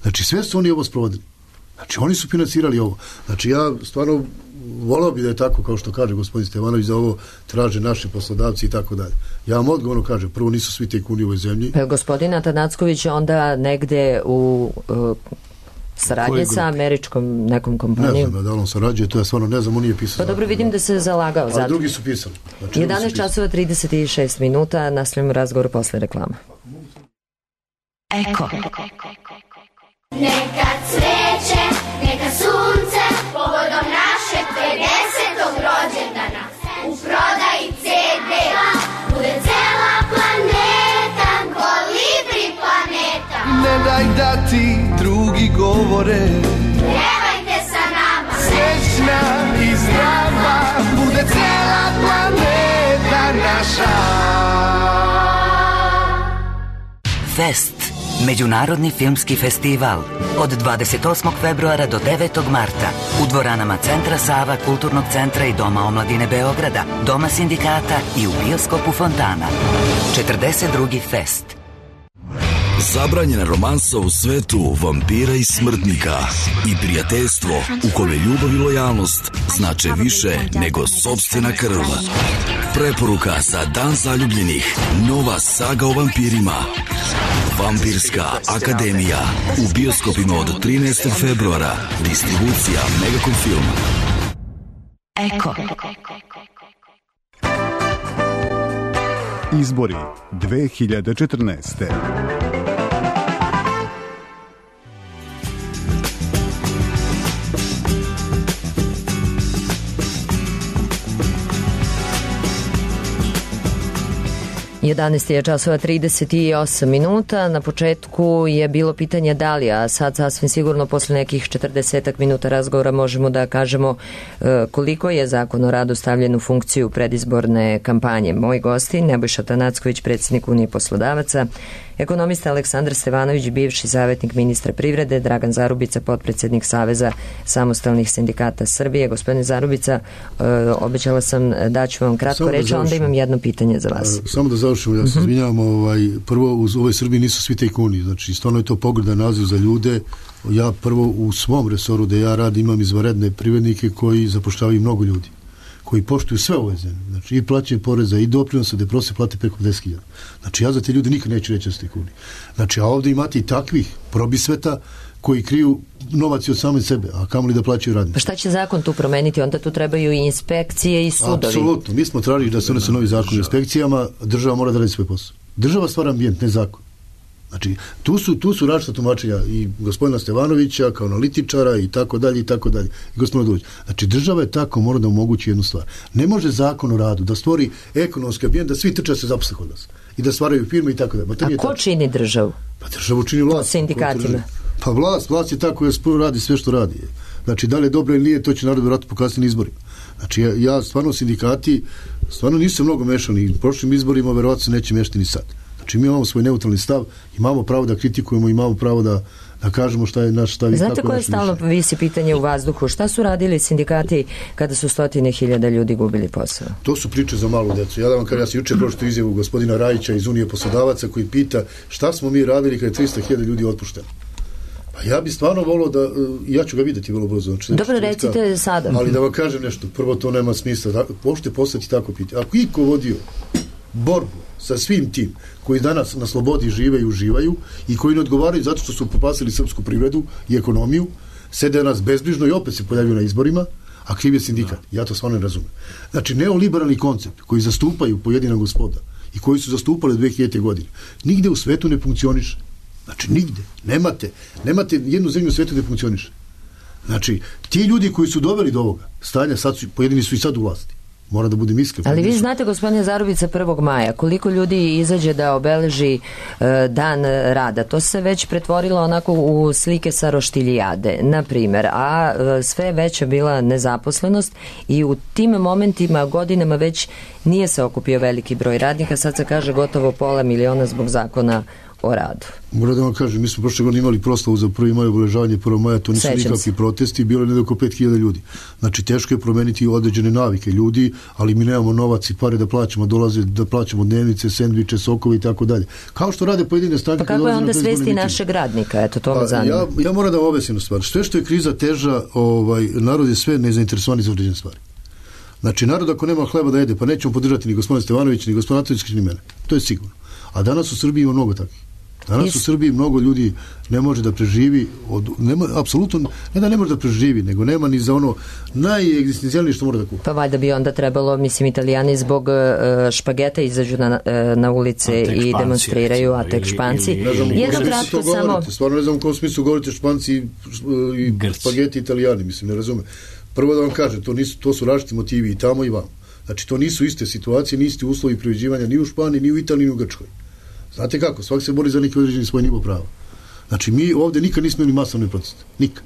Speaker 7: Znači, sve su oni ovo sprovodili. Znači, oni su financirali ovo. Znači, ja stvarno volao bi da je tako, kao što kaže gospodin Stevanović, da ovo traže naši poslodavci i tako dalje. Ja vam odgovorno kažem, prvo nisu svi tajkuni u ovoj zemlji.
Speaker 2: Pa gospodin Atanacković onda negde u... Uh, saradnje sa američkom nekom kompanijom.
Speaker 7: Ne znam da on sarađuje, to ja stvarno ne znam, on nije pisao.
Speaker 2: Pa dobro, vidim da se zalagao.
Speaker 7: A drugi su pisali. Znači,
Speaker 2: jedanaest časova trideset šest minuta, nastavljamo razgovor posle reklama.
Speaker 8: Eko. Neka cveće, neka sunce, povodom našeg pedesetog rođendana. U prodaji ce de bude cela planeta, kolibri planeta.
Speaker 5: Ne daj da ti drugi govore,
Speaker 8: pjevajte sa nama.
Speaker 5: Srećna i zdrava bude cela planeta naša.
Speaker 9: Fest, međunarodni filmski festival, od dvadeset osmog februara do devetog marta u dvoranama Centra Sava, Kulturnog centra i Doma omladine Beograda, Doma sindikata i u bioskopu Fontana. četrdeset drugi Fest.
Speaker 10: Zabranjena romansa u svetu vampira i smrtnika i prijateljstvo u kome ljubav i lojalnost znače više nego sopstvena krv. Preporuka za Dan zaljubljenih, nova saga o vampirima. Vampirska akademija u bioskopima od trinaestog februara. Distribucija Megacom Film.
Speaker 8: Eko.
Speaker 1: Izbori dve hiljade četrnaeste.
Speaker 2: jedanaest je časova trideset osam minuta. Na početku je bilo pitanje da li, a sad sasvim sigurno posle nekih četrdesetak minuta razgovora možemo da kažemo koliko je Zakon o radu stavljen u funkciju predizborne kampanje. Moji gosti, Nebojša Atanacković, predsjednik Unije poslodavaca, ekonomista Aleksandar Stevanović, bivši savjetnik ministra privrede, Dragan Zarubica, potpredsjednik Saveza samostalnih sindikata Srbije. Gospodine Zarubica, obećala sam da ću vam kratko reći, a onda imam jedno pitanje za vas.
Speaker 7: Samo da završimo, ja se izvinjavam, ovaj, prvo u ovoj Srbiji nisu svi tajkuni, znači stvarno je to pogrdan naziv za ljude. Ja prvo u svom resoru da ja radim imam izvanredne privrednike koji zapošljavaju mnogo ljudi, koji poštuju sve ove zemlje, znači i plaćaju poreza i doprinose, da prosjek plate preko deset hiljada. Znači ja za te ljudi nikad neću reći da su tajkuni. Znači a ovdje imate i takvih probisveta koji kriju novac od same sebe, a kamoli da plaćaju radnici.
Speaker 2: Pa šta će zakon tu promeniti? Onda tu trebaju i inspekcije i sudovi.
Speaker 7: Apsolutno. Mi smo tražili da se donese novi zakon o inspekcijama, država mora da radi svoj posao. Država stvara ambijent, ne zakon. Znači, tu su, tu su različita tumačenja i gospodina Stevanovića kao analitičara i tako dalje i tako dalje. I gospodina Dulić. Znači, država je tako mora da omogući jednu stvar. Ne može zakon o radu da stvori ekonomski ambijent da svi trče se zaposle kod nas. i da stvaraju firme i tako da.
Speaker 2: A ko čini državu?
Speaker 7: Pa državu čini vlast.
Speaker 2: Sindikatima.
Speaker 7: Pa vlast, vlast je ta koja radi sve što radi. Znači, da li je dobro ili nije, to će narod vjerojatno pokazati na izborima. Znači, ja, ja stvarno sindikati, stvarno nisu mnogo mešani. U prošlim izborima verovatno se neće mešati ni sad. Znači, mi imamo svoj neutralni stav, imamo pravo da kritikujemo, imamo pravo da, da kažemo šta je naš stav i kako je naš mišljenje.
Speaker 2: Znate koje stalno visi pitanje u vazduhu? Šta su radili sindikati kada su stotine hiljada ljudi gubili posao?
Speaker 7: To su priče za malu decu. Ja da vam kažem, ja sam juče prošlo izjavu gospodina Rajića iz Unije poslodavaca koji pita šta smo mi radili kada je tristo hiljada ljudi otpušteno. Pa ja bi stvarno volio da, ja ću ga vidjeti vrlo brzo. Znači,
Speaker 2: dobro, recite sada.
Speaker 7: Ali da vam kažem nešto, prvo to nema smisla. Da, možete postati tako pitanje. Ako iko vodio borbu sa svim tim koji danas na slobodi žive i uživaju i koji ne odgovaraju zato što su popasili srpsku privredu i ekonomiju, sede nas bezbrižno i opet se pojavljaju na izborima, a kriv je sindikat. Ja to stvarno ne razumem. Znači, neoliberalni koncept koji zastupaju pojedina gospoda i koji su zastupali dve hiljadite godine, nigde u svetu ne funkcioniše. Znači, nigde. Nemate, nemate jednu zemlju u svetu da funkcioniše. Znači, ti ljudi koji su doveli do ovoga stanja, sad su, pojedini su i sad u vlasti. Mora da budem iskren.
Speaker 2: Ali vi znate, gospodine Zarubica, prvog maja, koliko ljudi izađe da obeleži e, dan rada. To se već pretvorilo onako u slike sa roštiljijade, na primjer. A e, sve veća bila nezaposlenost i u tim momentima, godinama već nije se okupio veliki broj radnika. Sad se kaže gotovo pola miliona zbog zakona o radu.
Speaker 7: Moram da vam kažem, mi smo prošle godine imali proslavu za prvi maj, obeležavanje prvog maja, to nisu nikakvi protesti, bilo je oko pet hiljada ljudi. Znači, teško je promeniti određene navike ljudi, ali mi nemamo novac i pare da plaćamo, dolaze da plaćamo dnevnice, sendviče, sokove i tako dalje. Kao što rade pojedine stranke.
Speaker 2: Pa kako je onda svesti našeg radnika? Eto, to me zanima.
Speaker 7: Ja, ja moram da vam objasnim stvar. Sve što je kriza teža, ovaj, narod je sve nezainteresovan za određene stvari. Znači, narod ako nema hleba da jede, pa nećemo podržati ni gospodina Stevanovića, ni gospodina Atovića, ni mene. To je sigurno. A danas u Srbiji ima mnogo takvih. Danas u Srbiji mnogo ljudi ne može da preživi, od, nema, apsolutno, ne da ne može da preživi, nego nema ni za ono najegzistencijalnije što mora da kupi.
Speaker 2: Pa valjda bi onda trebalo, mislim, Italijani zbog uh, špageta izađu na, uh, na ulice i demonstriraju, a tek Španci. Jedno kratko samo...
Speaker 7: Stvarno ne znam u kom smislu govorite Španci i, i špageti Italijani, mislim, ne razume. Prvo da vam kažem, to, nisu, to su različiti motivi i tamo i vam. Znači, to nisu iste situacije, ni isti uslovi privređivanja ni u Španiji, ni u Italiji, ni u Grčkoj. Znate kako? Svak se bori za neki određeni svoj nivo prava. Znači, mi ovdje nikad nismo imali masovne proteste. Nikad.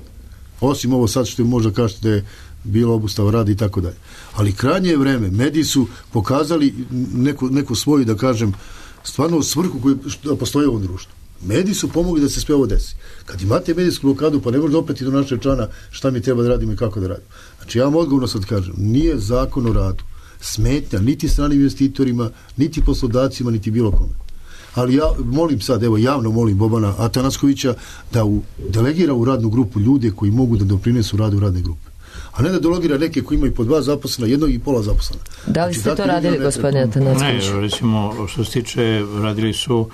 Speaker 7: Osim ovo sad što je možda kažete da je bila obustava rada i tako dalje. Ali krajnje je vreme. Mediji su pokazali neku, neku svoju, da kažem, stvarno svrhu koju postoji u ovom društvu. Mediji su pomogli da se sve ovo desi. Kad imate medijsku blokadu, pa ne možete opet i do našeg člana šta mi treba da radimo i kako da radimo. Znači, ja vam odgovorno sad kažem, nije zakon o radu smetnja niti stranim investitorima, niti poslodavcima, niti bilo kome. Ali ja molim sad, evo javno molim Bobana Atanaskovića da u, delegira u radnu grupu ljude koji mogu da doprinesu radu radne grupe. A ne da delegira neke koji imaju po dva zaposlena, jednog i pola zaposlena.
Speaker 2: Da li ste znači, to radili, gospodine Atanasković?
Speaker 3: Ne, recimo, što se tiče, radili su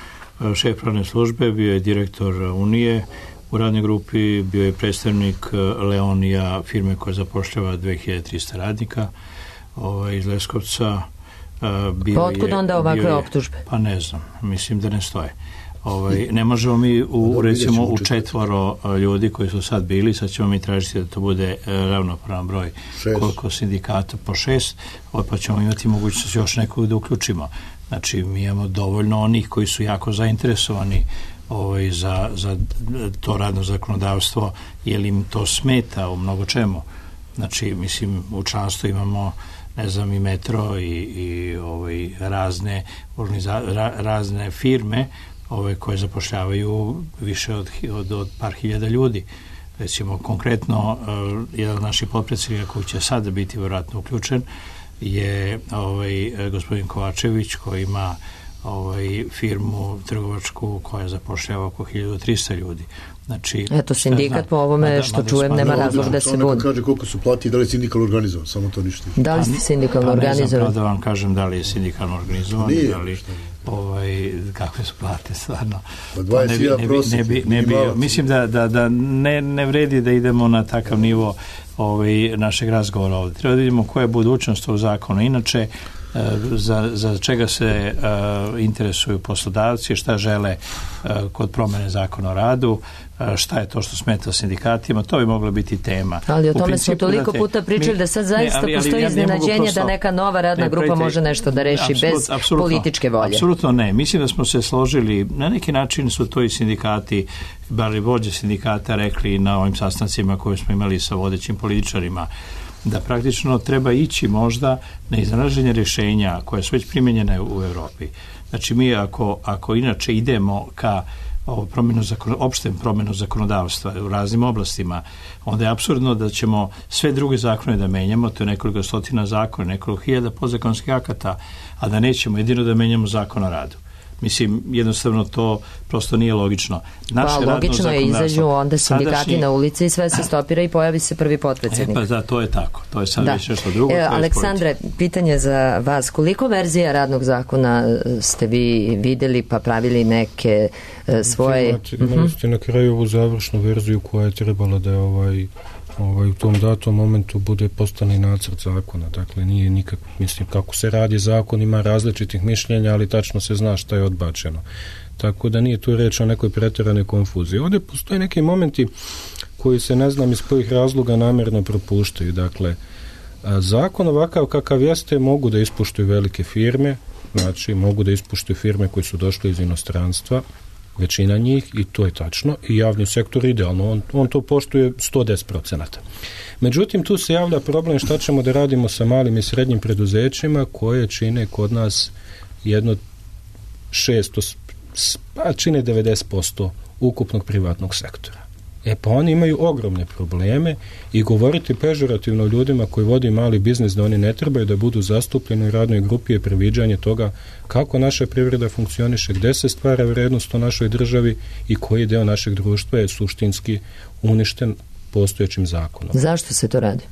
Speaker 3: šef pravne službe, bio je direktor Unije u radnoj grupi, bio je predstavnik Leonija, firme koja zapošljava dve hiljade trista radnika ovaj, iz Leskovca. Bio
Speaker 2: pa otkud
Speaker 3: je,
Speaker 2: onda ovakve optužbe?
Speaker 3: Pa ne znam, mislim da ne stoje. Ovaj, ne možemo mi u, recimo u četvoro ljudi koji su sad bili, sad ćemo mi tražiti da to bude ravnopravan broj šest. Koliko sindikata po šest, pa ćemo imati mogućnost još nekog da uključimo. Znači, mi imamo dovoljno onih koji su jako zainteresovani ovaj, za, za to radno zakonodavstvo, jer im to smeta u mnogo čemu. Znači, mislim, u članstvu imamo ne znam, i metro i, i ovaj, razne, ra, razne firme ovaj, koje zapošljavaju više od, od, od par hiljada ljudi. Recimo, konkretno, uh, jedan od naših potpredsjednika koji će sada biti vjerojatno uključen je ovaj, gospodin Kovačević koji ima ovaj, firmu trgovačku koja zapošljava oko hiljadu trista ljudi. Znači,
Speaker 2: eto, sindikat po ovome što čujem nema razlog da se budi.
Speaker 7: Kaže koliko su plati i da li je sindikalno organizovan, samo to ništa.
Speaker 2: Da li ste sindikalno organizovan?
Speaker 3: Ne znam da vam kažem da li je sindikalno organizovan, da li ovaj, kakve su plate stvarno.
Speaker 7: Pa dvadeset hiljada prosjek.
Speaker 3: Ne bi, ne bi, mislim da, da, da ne, ne vredi da idemo na takav nivo ovaj, našeg razgovora ovdje. Treba da vidimo koja je budućnost ovog zakona. Inače, za, za čega se uh, interesuju poslodavci, šta žele uh, kod promene zakona o radu, uh, šta je to što smeta sindikatima, to bi moglo biti tema.
Speaker 2: Ali o
Speaker 3: U
Speaker 2: tome
Speaker 3: principu,
Speaker 2: smo toliko
Speaker 3: znate,
Speaker 2: puta pričali
Speaker 3: ne,
Speaker 2: da sad zaista
Speaker 3: ne, ali, ali,
Speaker 2: postoji
Speaker 3: ja ne
Speaker 2: iznenađenje
Speaker 3: prosto,
Speaker 2: da neka nova radna
Speaker 3: ne,
Speaker 2: grupa
Speaker 3: pravite,
Speaker 2: može nešto da reši
Speaker 3: apsolut,
Speaker 2: bez
Speaker 3: apsolutno,
Speaker 2: političke volje.
Speaker 3: Apsolutno ne. Mislim da smo se složili, na neki način su to i sindikati, bar i vođe sindikata rekli na ovim sastancima koje smo imali sa vodećim političarima, da praktično treba ići možda na iznalaženje rješenja koje su već primjenjene u Europi. Znači mi ako, ako inače idemo ka promjenu zakon, opštem promjenu zakonodavstva u raznim oblastima, onda je apsurdno da ćemo sve druge zakone da menjamo, to je nekoliko stotina zakona, nekoliko hiljada podzakonskih akata, a da nećemo jedino da menjamo zakon o radu. Mislim, jednostavno to prosto nije logično. Naše
Speaker 2: pa logično je, izađu onda sindikati
Speaker 3: sadašnji,
Speaker 2: na ulici i sve se stopira i pojavi se prvi potpredsjednik.
Speaker 3: E pa da, to je tako. To je sad
Speaker 2: da.
Speaker 3: već nešto drugo.
Speaker 2: E, Aleksandre, pitanje za vas. Koliko verzija radnog zakona ste vi vidjeli pa pravili neke e, svoje...
Speaker 6: Imate, imali ste na kraju ovu završnu verziju koja je trebala da je ovaj... Ovaj, u tom datom momentu bude postane nacrt zakona, dakle nije nikak, mislim, kako se radi zakon, ima različitih mišljenja, ali tačno se zna šta je odbačeno. Tako da nije tu reč o nekoj pretjeranoj konfuziji. Ovdje postoje neki momenti koji se ne znam iz kojih razloga namjerno propuštaju. Dakle, zakon ovakav kakav jeste mogu da ispuštuju velike firme, znači mogu da ispuštuju firme koje su došle iz inostranstva, većina njih, i to je tačno, i javni sektor idealno, on, on to poštuje sto deset procenata. Međutim, tu se javlja problem šta ćemo da radimo sa malim i srednjim preduzećima koje čine kod nas jedno šesto, pa čine devedeset posto ukupnog privatnog sektora. E pa oni imaju ogromne probleme i govoriti pežorativno ljudima koji vodi mali biznis da oni ne trebaju da budu zastupljeni u radnoj grupi je previđanje toga kako naša privreda funkcioniše, gde se stvara vrednost u našoj državi i koji deo našeg društva je suštinski uništen postojećim zakonom.
Speaker 2: Zašto se to radi?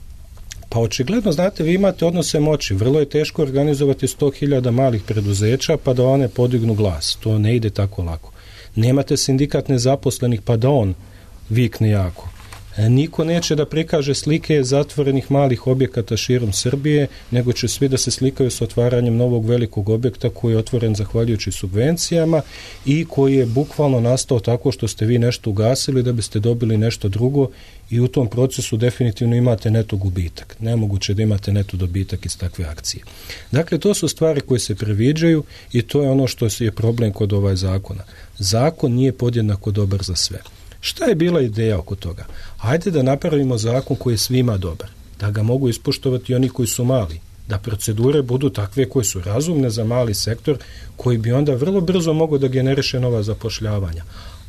Speaker 6: Pa očigledno, znate, vi imate odnose moći. Vrlo je teško organizovati sto hiljada malih preduzeća pa da one podignu glas. To ne ide tako lako. Nemate sindikat nezaposlenih pa da on vikne jako. Niko neće da prikaže slike zatvorenih malih objekata širom Srbije, nego će svi da se slikaju s otvaranjem novog velikog objekta koji je otvoren zahvaljujući subvencijama i koji je bukvalno nastao tako što ste vi nešto ugasili da biste dobili nešto drugo i u tom procesu definitivno imate neto gubitak. Nemoguće da imate neto dobitak iz takve akcije. Dakle, to su stvari koje se previđaju i to je ono što je problem kod ovaj zakona. Zakon nije podjednako dobar za sve. Šta je bila ideja oko toga? Hajde da napravimo zakon koji je svima dobar, da ga mogu ispoštovati oni koji su mali, da procedure budu takve koje su razumne za mali sektor, koji bi onda vrlo brzo mogo da generiše nova zapošljavanja.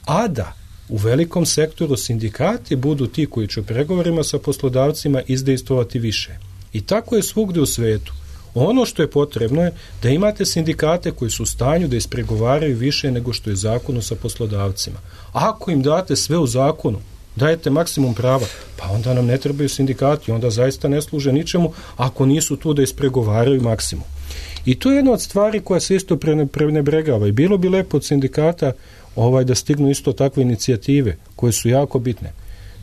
Speaker 6: A da u velikom sektoru sindikati budu ti koji će u pregovorima sa poslodavcima izdejstvovati više. I tako je svugdje u svetu. Ono što je potrebno je da imate sindikate koji su u stanju da ispregovaraju više nego što je zakonu sa poslodavcima. Ako im date sve u zakonu, dajete maksimum prava, pa onda nam ne trebaju sindikati, onda zaista ne služe ničemu ako nisu tu da ispregovaraju maksimum. I to je jedna od stvari koja se isto prenebregava i bilo bi lepo od sindikata ovaj, da stignu isto takve inicijative koje su jako bitne.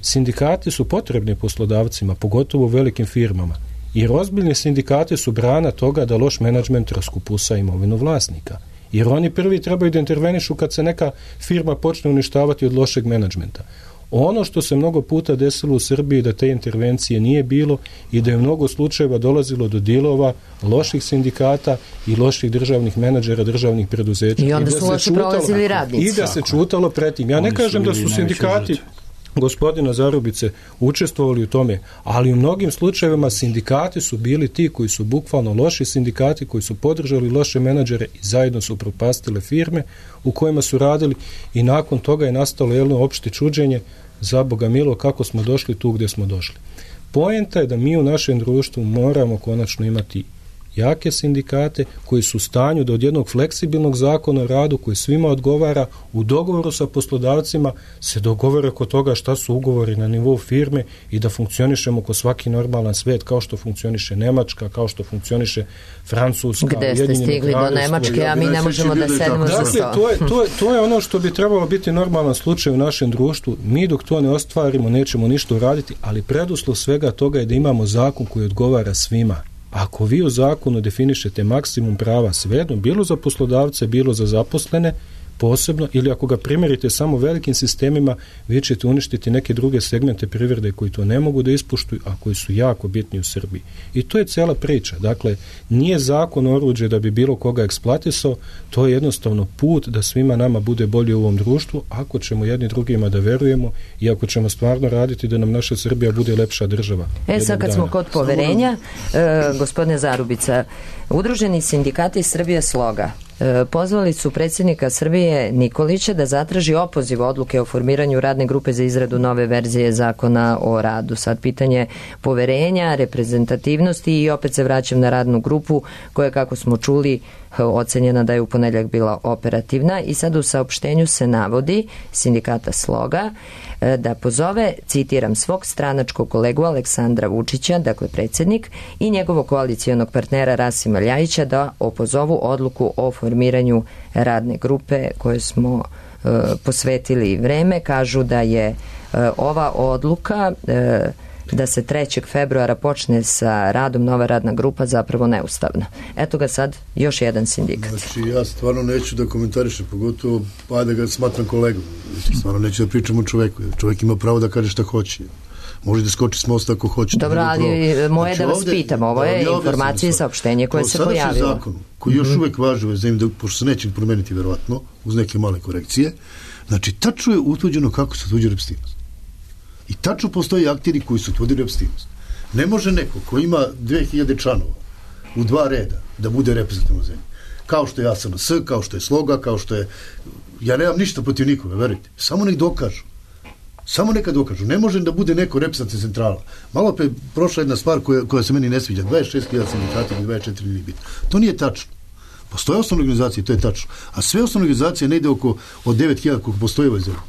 Speaker 6: Sindikati su potrebni poslodavcima, pogotovo u velikim firmama. Jer ozbiljni sindikati su brana toga da loš menadžment raskupusa imovinu vlasnika. Jer oni prvi trebaju da intervenišu kad se neka firma počne uništavati od lošeg menadžmenta. Ono što se mnogo puta desilo u Srbiji da te intervencije nije bilo i da je u mnogo slučajeva dolazilo do dilova loših sindikata i loših državnih menadžera, državnih preduzeća.
Speaker 2: I onda su loše prolazili radnici.
Speaker 6: I da se čutalo pretim. Ja ne kažem da su sindikati gospodina Zarubice učestvovali u tome, ali u mnogim slučajevima sindikati su bili ti koji su bukvalno loši sindikati, koji su podržali loše menadžere i zajedno su propastile firme u kojima su radili i nakon toga je nastalo jedno opšte čuđenje za Boga milo kako smo došli tu gdje smo došli. Poenta je da mi u našem društvu moramo konačno imati jake sindikate koji su u stanju da od jednog fleksibilnog zakona o radu koji svima odgovara u dogovoru sa poslodavcima se dogovore oko toga šta su ugovori na nivou firme i da funkcionišemo ko svaki normalan svet kao što funkcioniše Nemačka, kao što funkcioniše Francuska.
Speaker 2: Gde ste stigli do Nemačke, a mi ne možemo da sedemo za sto.
Speaker 6: Dakle, to je, to, je, to je ono što bi trebalo biti normalan slučaj u našem društvu. Mi dok to ne ostvarimo nećemo ništa uraditi, ali preduslov svega toga je da imamo zakon koji odgovara svima. Ako vi u zakonu definišete maksimum prava svejedno, bilo za poslodavce, bilo za zaposlene, posebno, ili ako ga primjerite samo velikim sistemima, vi ćete uništiti neke druge segmente privrede koji to ne mogu da ispuštuju, a koji su jako bitni u Srbiji. I to je cela priča. Dakle, nije zakon oruđe da bi bilo koga eksploatisao, to je jednostavno put da svima nama bude bolje u ovom društvu, ako ćemo jedni drugima da verujemo i ako ćemo stvarno raditi da nam naša Srbija bude lepša država.
Speaker 2: E sad kad smo kod poverenja, e, gospodine Zarubica, Udruženi sindikati Srbije Sloga pozvali su predsjednika Srbije Nikolića da zatraži opoziv odluke o formiranju radne grupe za izradu nove verzije zakona o radu. Sad pitanje poverenja, reprezentativnosti i opet se vraćam na radnu grupu koja, kako smo čuli, ocenjena da je u ponedjeljak bila operativna i sad u saopštenju se navodi sindikata Sloga da pozove, citiram, svog stranačkog kolegu Aleksandra Vučića, dakle predsjednik, i njegovog koalicijonog partnera Rasima Ljajića da opozovu odluku o formiranju radne grupe koje smo e, posvetili vreme. Kažu da je e, ova odluka e, da se trećeg februara počne sa radom nova radna grupa zapravo neustavna. Eto ga sad još jedan sindikat.
Speaker 7: Znači ja stvarno neću da komentarišem, pogotovo pa da ga smatram kolegom. Znači, stvarno neću da pričam o čoveku. Čovjek ima pravo da kaže šta hoće. Može da skoči s mosta ako hoće.
Speaker 2: Dobro, ali moje znači, da vas ovde, pitam, ovo je ja informacija i saopštenje koje se pojavilo.
Speaker 7: Zakon, koji još mm-hmm. uvek važi u zemlji, pošto se neće promeniti verovatno, uz neke male korekcije, znači tačno je utvrđeno kako se utvrđuje reprezentativnost. I tačno postoje akteri koji su utvrdili reprezentativnost. Ne može neko ko ima dve hiljade članova u dva reda da bude reprezentativno zemlji. Kao što je A S N S, kao što je Sloga, kao što je... Ja nemam ništa protiv nikoga, verujte. Samo nek dokažu. Samo neka dokažu. Ne može da bude neko reprezentativna centrala. Malo pre prošla jedna stvar koja, koja se meni ne sviđa. dvadeset šest hiljada sindikata ili dvadeset četiri nije bitno. To nije tačno. Postoje osnovne organizacije, to je tačno. A sve osnovne organizacije ne ide oko od devet hiljada koliko postoje u ovoj zemlji.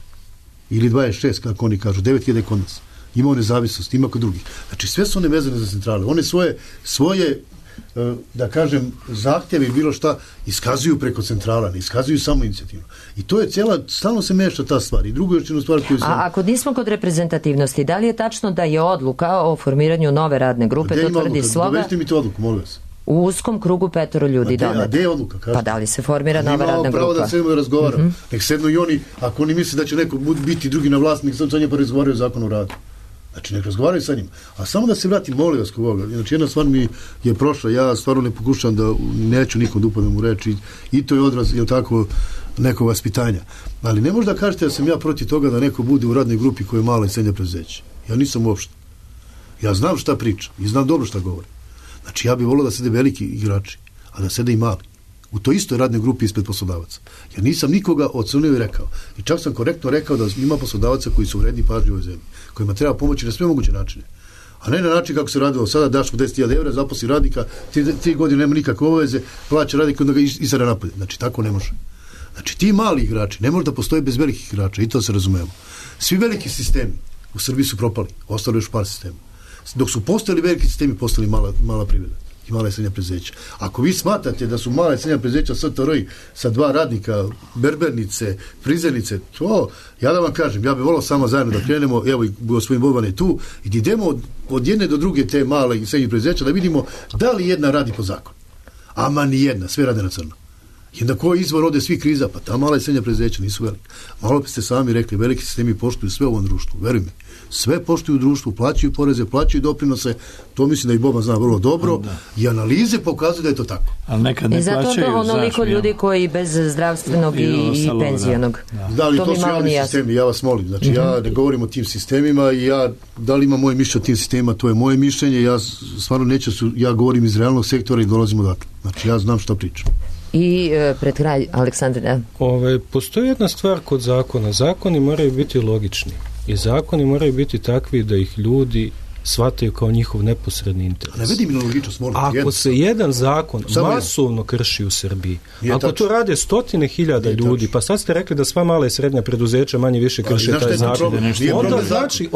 Speaker 7: Ili dvadeset šest, kako oni kažu, devet hiljada kod nas. Ima nezavisnost, ima kod drugih. Znači, sve su one vezane za centrale. One svoje, svoje da kažem, zahtjeve i bilo šta iskazuju preko centrala, ne iskazuju samo inicijativno. I to je cijela, stalno se meša ta stvar. I drugo još jednu stvar koju sam...
Speaker 2: A ako nismo kod reprezentativnosti, da li je tačno da je odluka o formiranju nove radne grupe, to tvrdi Sloga?
Speaker 7: Dovežite mi tu odluku, molim vas.
Speaker 2: U uskom krugu petoro ljudi donet.
Speaker 7: A gde je odluka? Kažete?
Speaker 2: Pa da li se formira nova radna grupa?
Speaker 7: Pravo da sedmo da razgovaram. Mm-hmm. Nek sedno i oni, ako oni misle da će neko biti drugi na vlasti, nek sam sa njima pa razgovaraju o zakonu o radu. Znači, nek razgovaraju sa njim. A samo da se vratim, molim vas kog ovoga. Znači, jedna stvar mi je prošla. Ja stvarno ne pokušam da neću nikom da upadnem u reči. I to je odraz, je tako, nekog vaspitanja. Ali ne možda kažete da sam ja protiv toga da neko bude u radnoj grupi koja je mala i srednja preduzeća. Ja nisam uopšte. Ja znam šta pričam i znam dobro šta govorim. Znači, ja bih volio da sede veliki igrači, a da sede i mali. U toj istoj radnoj grupi ispred poslodavaca. Ja nisam nikoga ocrnio i rekao. I čak sam korektno rekao da ima poslodavaca koji su vredni pažnje u ovoj zemlji, kojima treba pomoći na sve moguće načine. A ne na način kako se radilo sada, daš mu deset hiljada evra, zaposli radnika, tri, tri godine nema nikakve obaveze, plaća radnika, onda ga isara napolje. Znači, tako ne može. Znači, ti mali igrači ne može da postoje bez velikih igrača, i to se razumemo. Svi veliki sistemi u Srbiji su propali, ostalo još par sistema. Dok su postali veliki sistemi, postali mala, mala privreda i mala i srednja preduzeća. Ako vi smatrate da su mala i srednja preduzeća S T R I sa dva radnika, berbernice, frizernice, to, ja da vam kažem, ja bih volao samo zajedno da krenemo, evo i gospodin Boban je tu, i da idemo od, od jedne do druge te male i srednje preduzeća da vidimo da li jedna radi po zakonu. Ama ni jedna, sve rade na crno. I onda ko je izvor ode svih kriza? Pa ta mala i srednja preduzeća nisu velika. Malo ste sami rekli, veliki sistemi poštuju sve u ovom društvu, veruj mi. Sve poštuju u društvu, plaćaju poreze, plaćaju doprinose, to mislim da i Boban zna vrlo dobro, da. I analize pokazuju da je to tako.
Speaker 3: Ali nekad ne
Speaker 2: i zato
Speaker 3: plaćaju,
Speaker 2: to onoliko
Speaker 3: znaš,
Speaker 2: ljudi koji bez zdravstvenog i, i, i penzijonog.
Speaker 7: Da, da li to, to su javni sistemi, ja vas molim. Znači, mm-hmm. ja ne govorim o tim sistemima i ja, da li ima moje mišljenje o tim sistemima, to je moje mišljenje, ja stvarno neću, ja govorim iz realnog sektora i dolazim odatle. Znači, ja znam šta pričam.
Speaker 2: I e, pred kraj, Aleksandre.
Speaker 6: Ove, postoji jedna stvar kod zakona. Zakoni moraju biti logični. I zakoni moraju biti takvi da ih ljudi shvataju kao njihov neposredni interes.
Speaker 7: Ne vidi mi na logičnost, molim.
Speaker 6: Ako jedan se jedan zakon Samo masovno jedan. krši u Srbiji, Nije ako tačno. to rade stotine hiljada Nije ljudi, tačno. pa sad ste rekli da sva mala i srednja preduzeća manje više krše Ali, taj zakon. Onda znači, onda znači,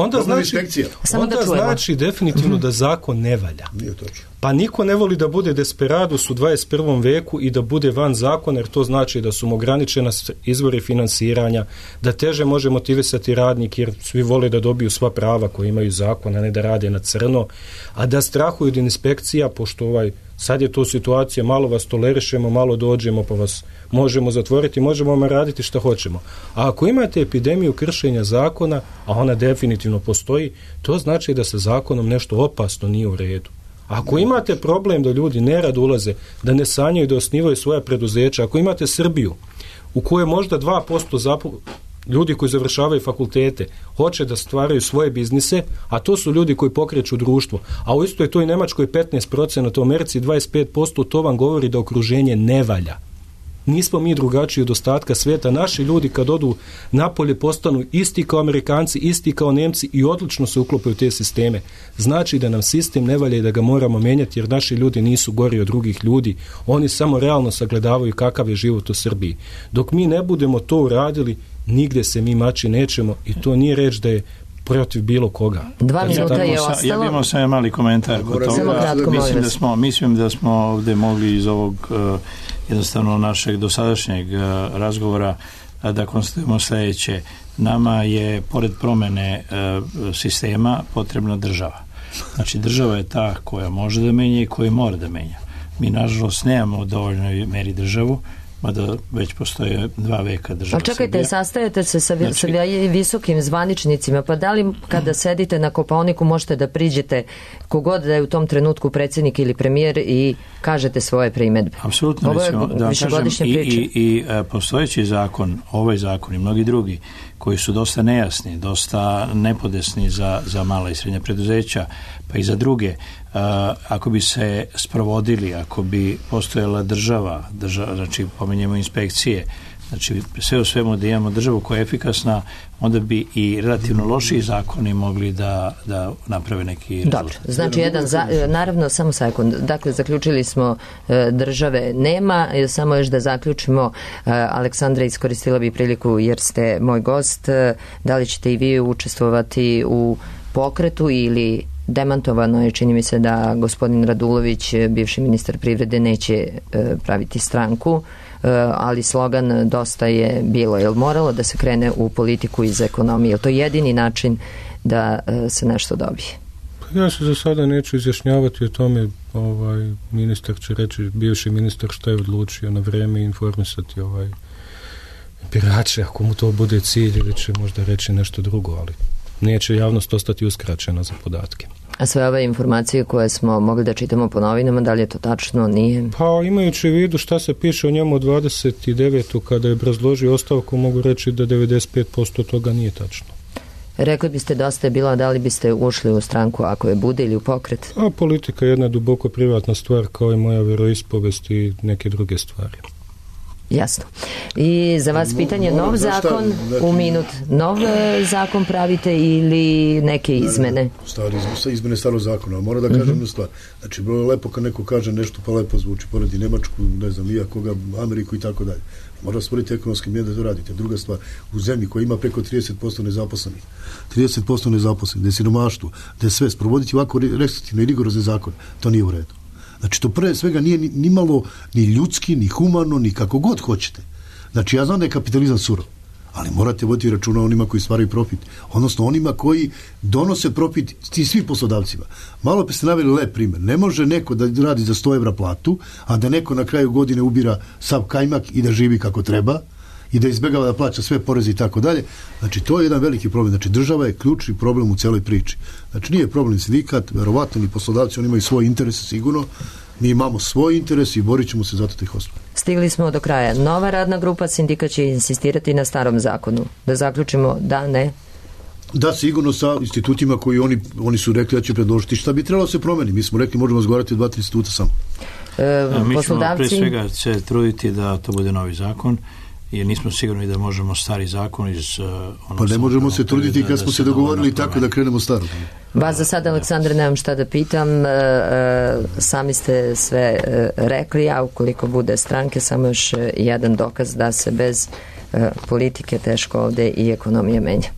Speaker 6: onda da znači definitivno mm-hmm. da zakon ne valja.
Speaker 7: Nije točno.
Speaker 6: Pa niko ne voli da bude desperadus u dvadeset prvom veku i da bude van zakona, jer to znači da su mu ograničena izvori finansiranja, da teže može motivisati radnik, jer svi vole da dobiju sva prava koje imaju zakon, a ne da radi rade na crno, a da strahuju od inspekcija, pošto ovaj, sad je to situacija, malo vas tolerišemo, malo dođemo pa vas možemo zatvoriti, možemo vam raditi šta hoćemo. A ako imate epidemiju kršenja zakona, a ona definitivno postoji, to znači da sa zakonom nešto opasno nije u redu. Ako imate problem da ljudi nerad ulaze, da ne sanjaju da osnivaju svoja preduzeća, ako imate Srbiju u kojoj možda dva posto zapo... ljudi koji završavaju fakultete hoće da stvaraju svoje biznise, a to su ljudi koji pokreću društvo, a u istoj toj Nemačkoj petnaest posto, u Americi dvadeset pet posto, to vam govori da okruženje ne valja. Nismo mi drugačiji od ostatka svijeta. Naši ljudi kad odu napolje postanu isti kao Amerikanci, isti kao Nemci i odlično se uklopaju u te sisteme. Znači da nam sistem ne valja i da ga moramo menjati, jer naši ljudi nisu gori od drugih ljudi. Oni samo realno sagledavaju kakav je život u Srbiji. Dok mi ne budemo to uradili, nigde se mi mači nećemo i to nije reč da je protiv bilo koga.
Speaker 2: Dva minuta je ostalo.
Speaker 3: Ja bih imao samo mali komentar kod toga. Mislim da smo, mislim da smo ovdje mogli iz ovog uh, jednostavno našeg dosadašnjeg uh, razgovora uh, da konstatujemo sljedeće. Nama je, pored promene uh, sistema, potrebna država. Znači, država je ta koja može da menja i koja mora da menja. Mi, nažalost, nemamo u dovoljnoj meri državu, mada već postoje dva veka država.
Speaker 2: A čekajte,
Speaker 3: Srbija.
Speaker 2: Sastajete se sa,
Speaker 3: znači,
Speaker 2: sa visokim zvaničnicima, pa da li kada sedite na Kopaoniku možete da priđete kogod da je u tom trenutku predsjednik ili premijer i kažete svoje primjedbe?
Speaker 3: Apsolutno, recimo, da kažem, i, i, i postojeći zakon, ovaj zakon i mnogi drugi koji su dosta nejasni, dosta nepodesni za, za mala i srednja preduzeća, pa i za druge, Uh, ako bi se sprovodili, ako bi postojala država, država, znači pomenjemo inspekcije, znači sve u svemu da imamo državu koja je efikasna, onda bi i relativno lošiji zakoni mogli da, da naprave neki rezultat.
Speaker 2: Dobro, znači jedan, za, naravno, samo sekund, dakle zaključili smo e, države nema, samo još da zaključimo, e, Aleksandra, iskoristila bi priliku jer ste moj gost, e, da li ćete i vi učestvovati u pokretu ili demantovano je, čini mi se da gospodin Radulović, bivši ministar privrede, neće e, praviti stranku, e, ali slogan dosta je bilo. Je li moralo da se krene u politiku iz ekonomije? Je to jedini način da e, se nešto dobije?
Speaker 6: Pa ja se za sada neću izjašnjavati o tome. Ovaj, ministar će reći, bivši ministar, šta je odlučio na vreme informisati ovaj, birače, ako mu to bude cilj, ili će možda reći nešto drugo, ali neće javnost ostati uskraćena za podatke.
Speaker 2: A sve ove informacije koje smo mogli da čitamo po novinama, da li je to tačno, nije?
Speaker 6: Pa imajući u vidu šta se piše o njemu u dvadeset devetom kada je obrazložio ostavku, mogu reći da devedeset pet posto toga nije tačno.
Speaker 2: Rekli biste dosta je bilo, da li biste ušli u stranku ako je bude ili u pokret?
Speaker 6: A politika je jedna duboko privatna stvar kao i moja veroispovest i neke druge stvari.
Speaker 2: Jasno. I za vas pitanje, nov zakon, u minut, nov zakon pravite ili neke izmene?
Speaker 7: Stari, izmene starog zakona, mora da kažem jednu stvar. Znači, bilo je lepo kad neko kaže nešto pa lepo zvuči, poredi Nemačku, ne znam, ja koga, Ameriku i tako dalje. Mora stvoriti ekonomski mjer da to radite. Druga stvar, u zemlji koja ima preko trideset posto nezaposlenih, trideset posto nezaposlenih, da je siromaštvo, da je sve, sprovoditi ovako restriktivno i rigorozne zakone, to nije u redu. Znači, to pre svega nije ni, ni malo ni ljudski, ni humano, ni kako god hoćete. Znači, ja znam da je kapitalizam surov, ali morate voditi računa onima koji stvaraju profit, odnosno onima koji donose profit ti svi poslodavcima. Malo pa ste naveli lep primjer. Ne može neko da radi za sto evra platu, a da neko na kraju godine ubira sav kajmak i da živi kako treba i da izbjegava da plaća sve poreze i tako dalje. Znači, to je jedan veliki problem. Znači, država je ključni problem u celoj priči. Znači, nije problem sindikat, verovatno ni poslodavci, oni imaju svoje interese sigurno. Mi imamo svoj interes i borit ćemo se zato da ih ostvari.
Speaker 2: Stigli smo do kraja. Nova radna grupa, sindikat će insistirati na starom zakonu. Da zaključimo da, ne?
Speaker 7: Da, sigurno sa institutima koji oni, oni su rekli da će predložiti šta bi trebalo se promeni. Mi smo rekli možemo razgovarati o dva, tri instituta samo.
Speaker 2: E,
Speaker 3: mi
Speaker 2: poslodavci...
Speaker 3: ćemo pre svega se truditi da to bude novi zakon, jer nismo sigurni da možemo stari zakon iz... Uh,
Speaker 7: pa ne možemo se truditi kad da, smo da se dogovorili tako da krenemo staro.
Speaker 2: Vas za sad, Aleksandre, nemam šta da pitam. E, e, sami ste sve e, rekli, a ukoliko bude stranke, samo još jedan dokaz da se bez e, politike teško ovde i ekonomija menja.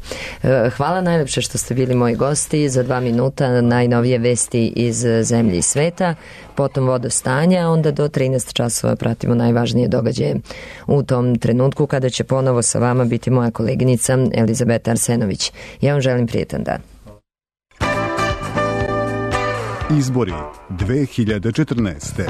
Speaker 2: E, hvala najlepše što ste bili moji gosti. Za dva minuta najnovije vesti iz zemlje i sveta, potom vodostanja, onda do trinaest časova pratimo najvažnije događaje u tom trenutku kada će ponovo sa vama biti moja koleginica Elizabeta Arsenović. Ja vam želim prijetan dan.
Speaker 1: Izbori dve hiljade četrnaeste.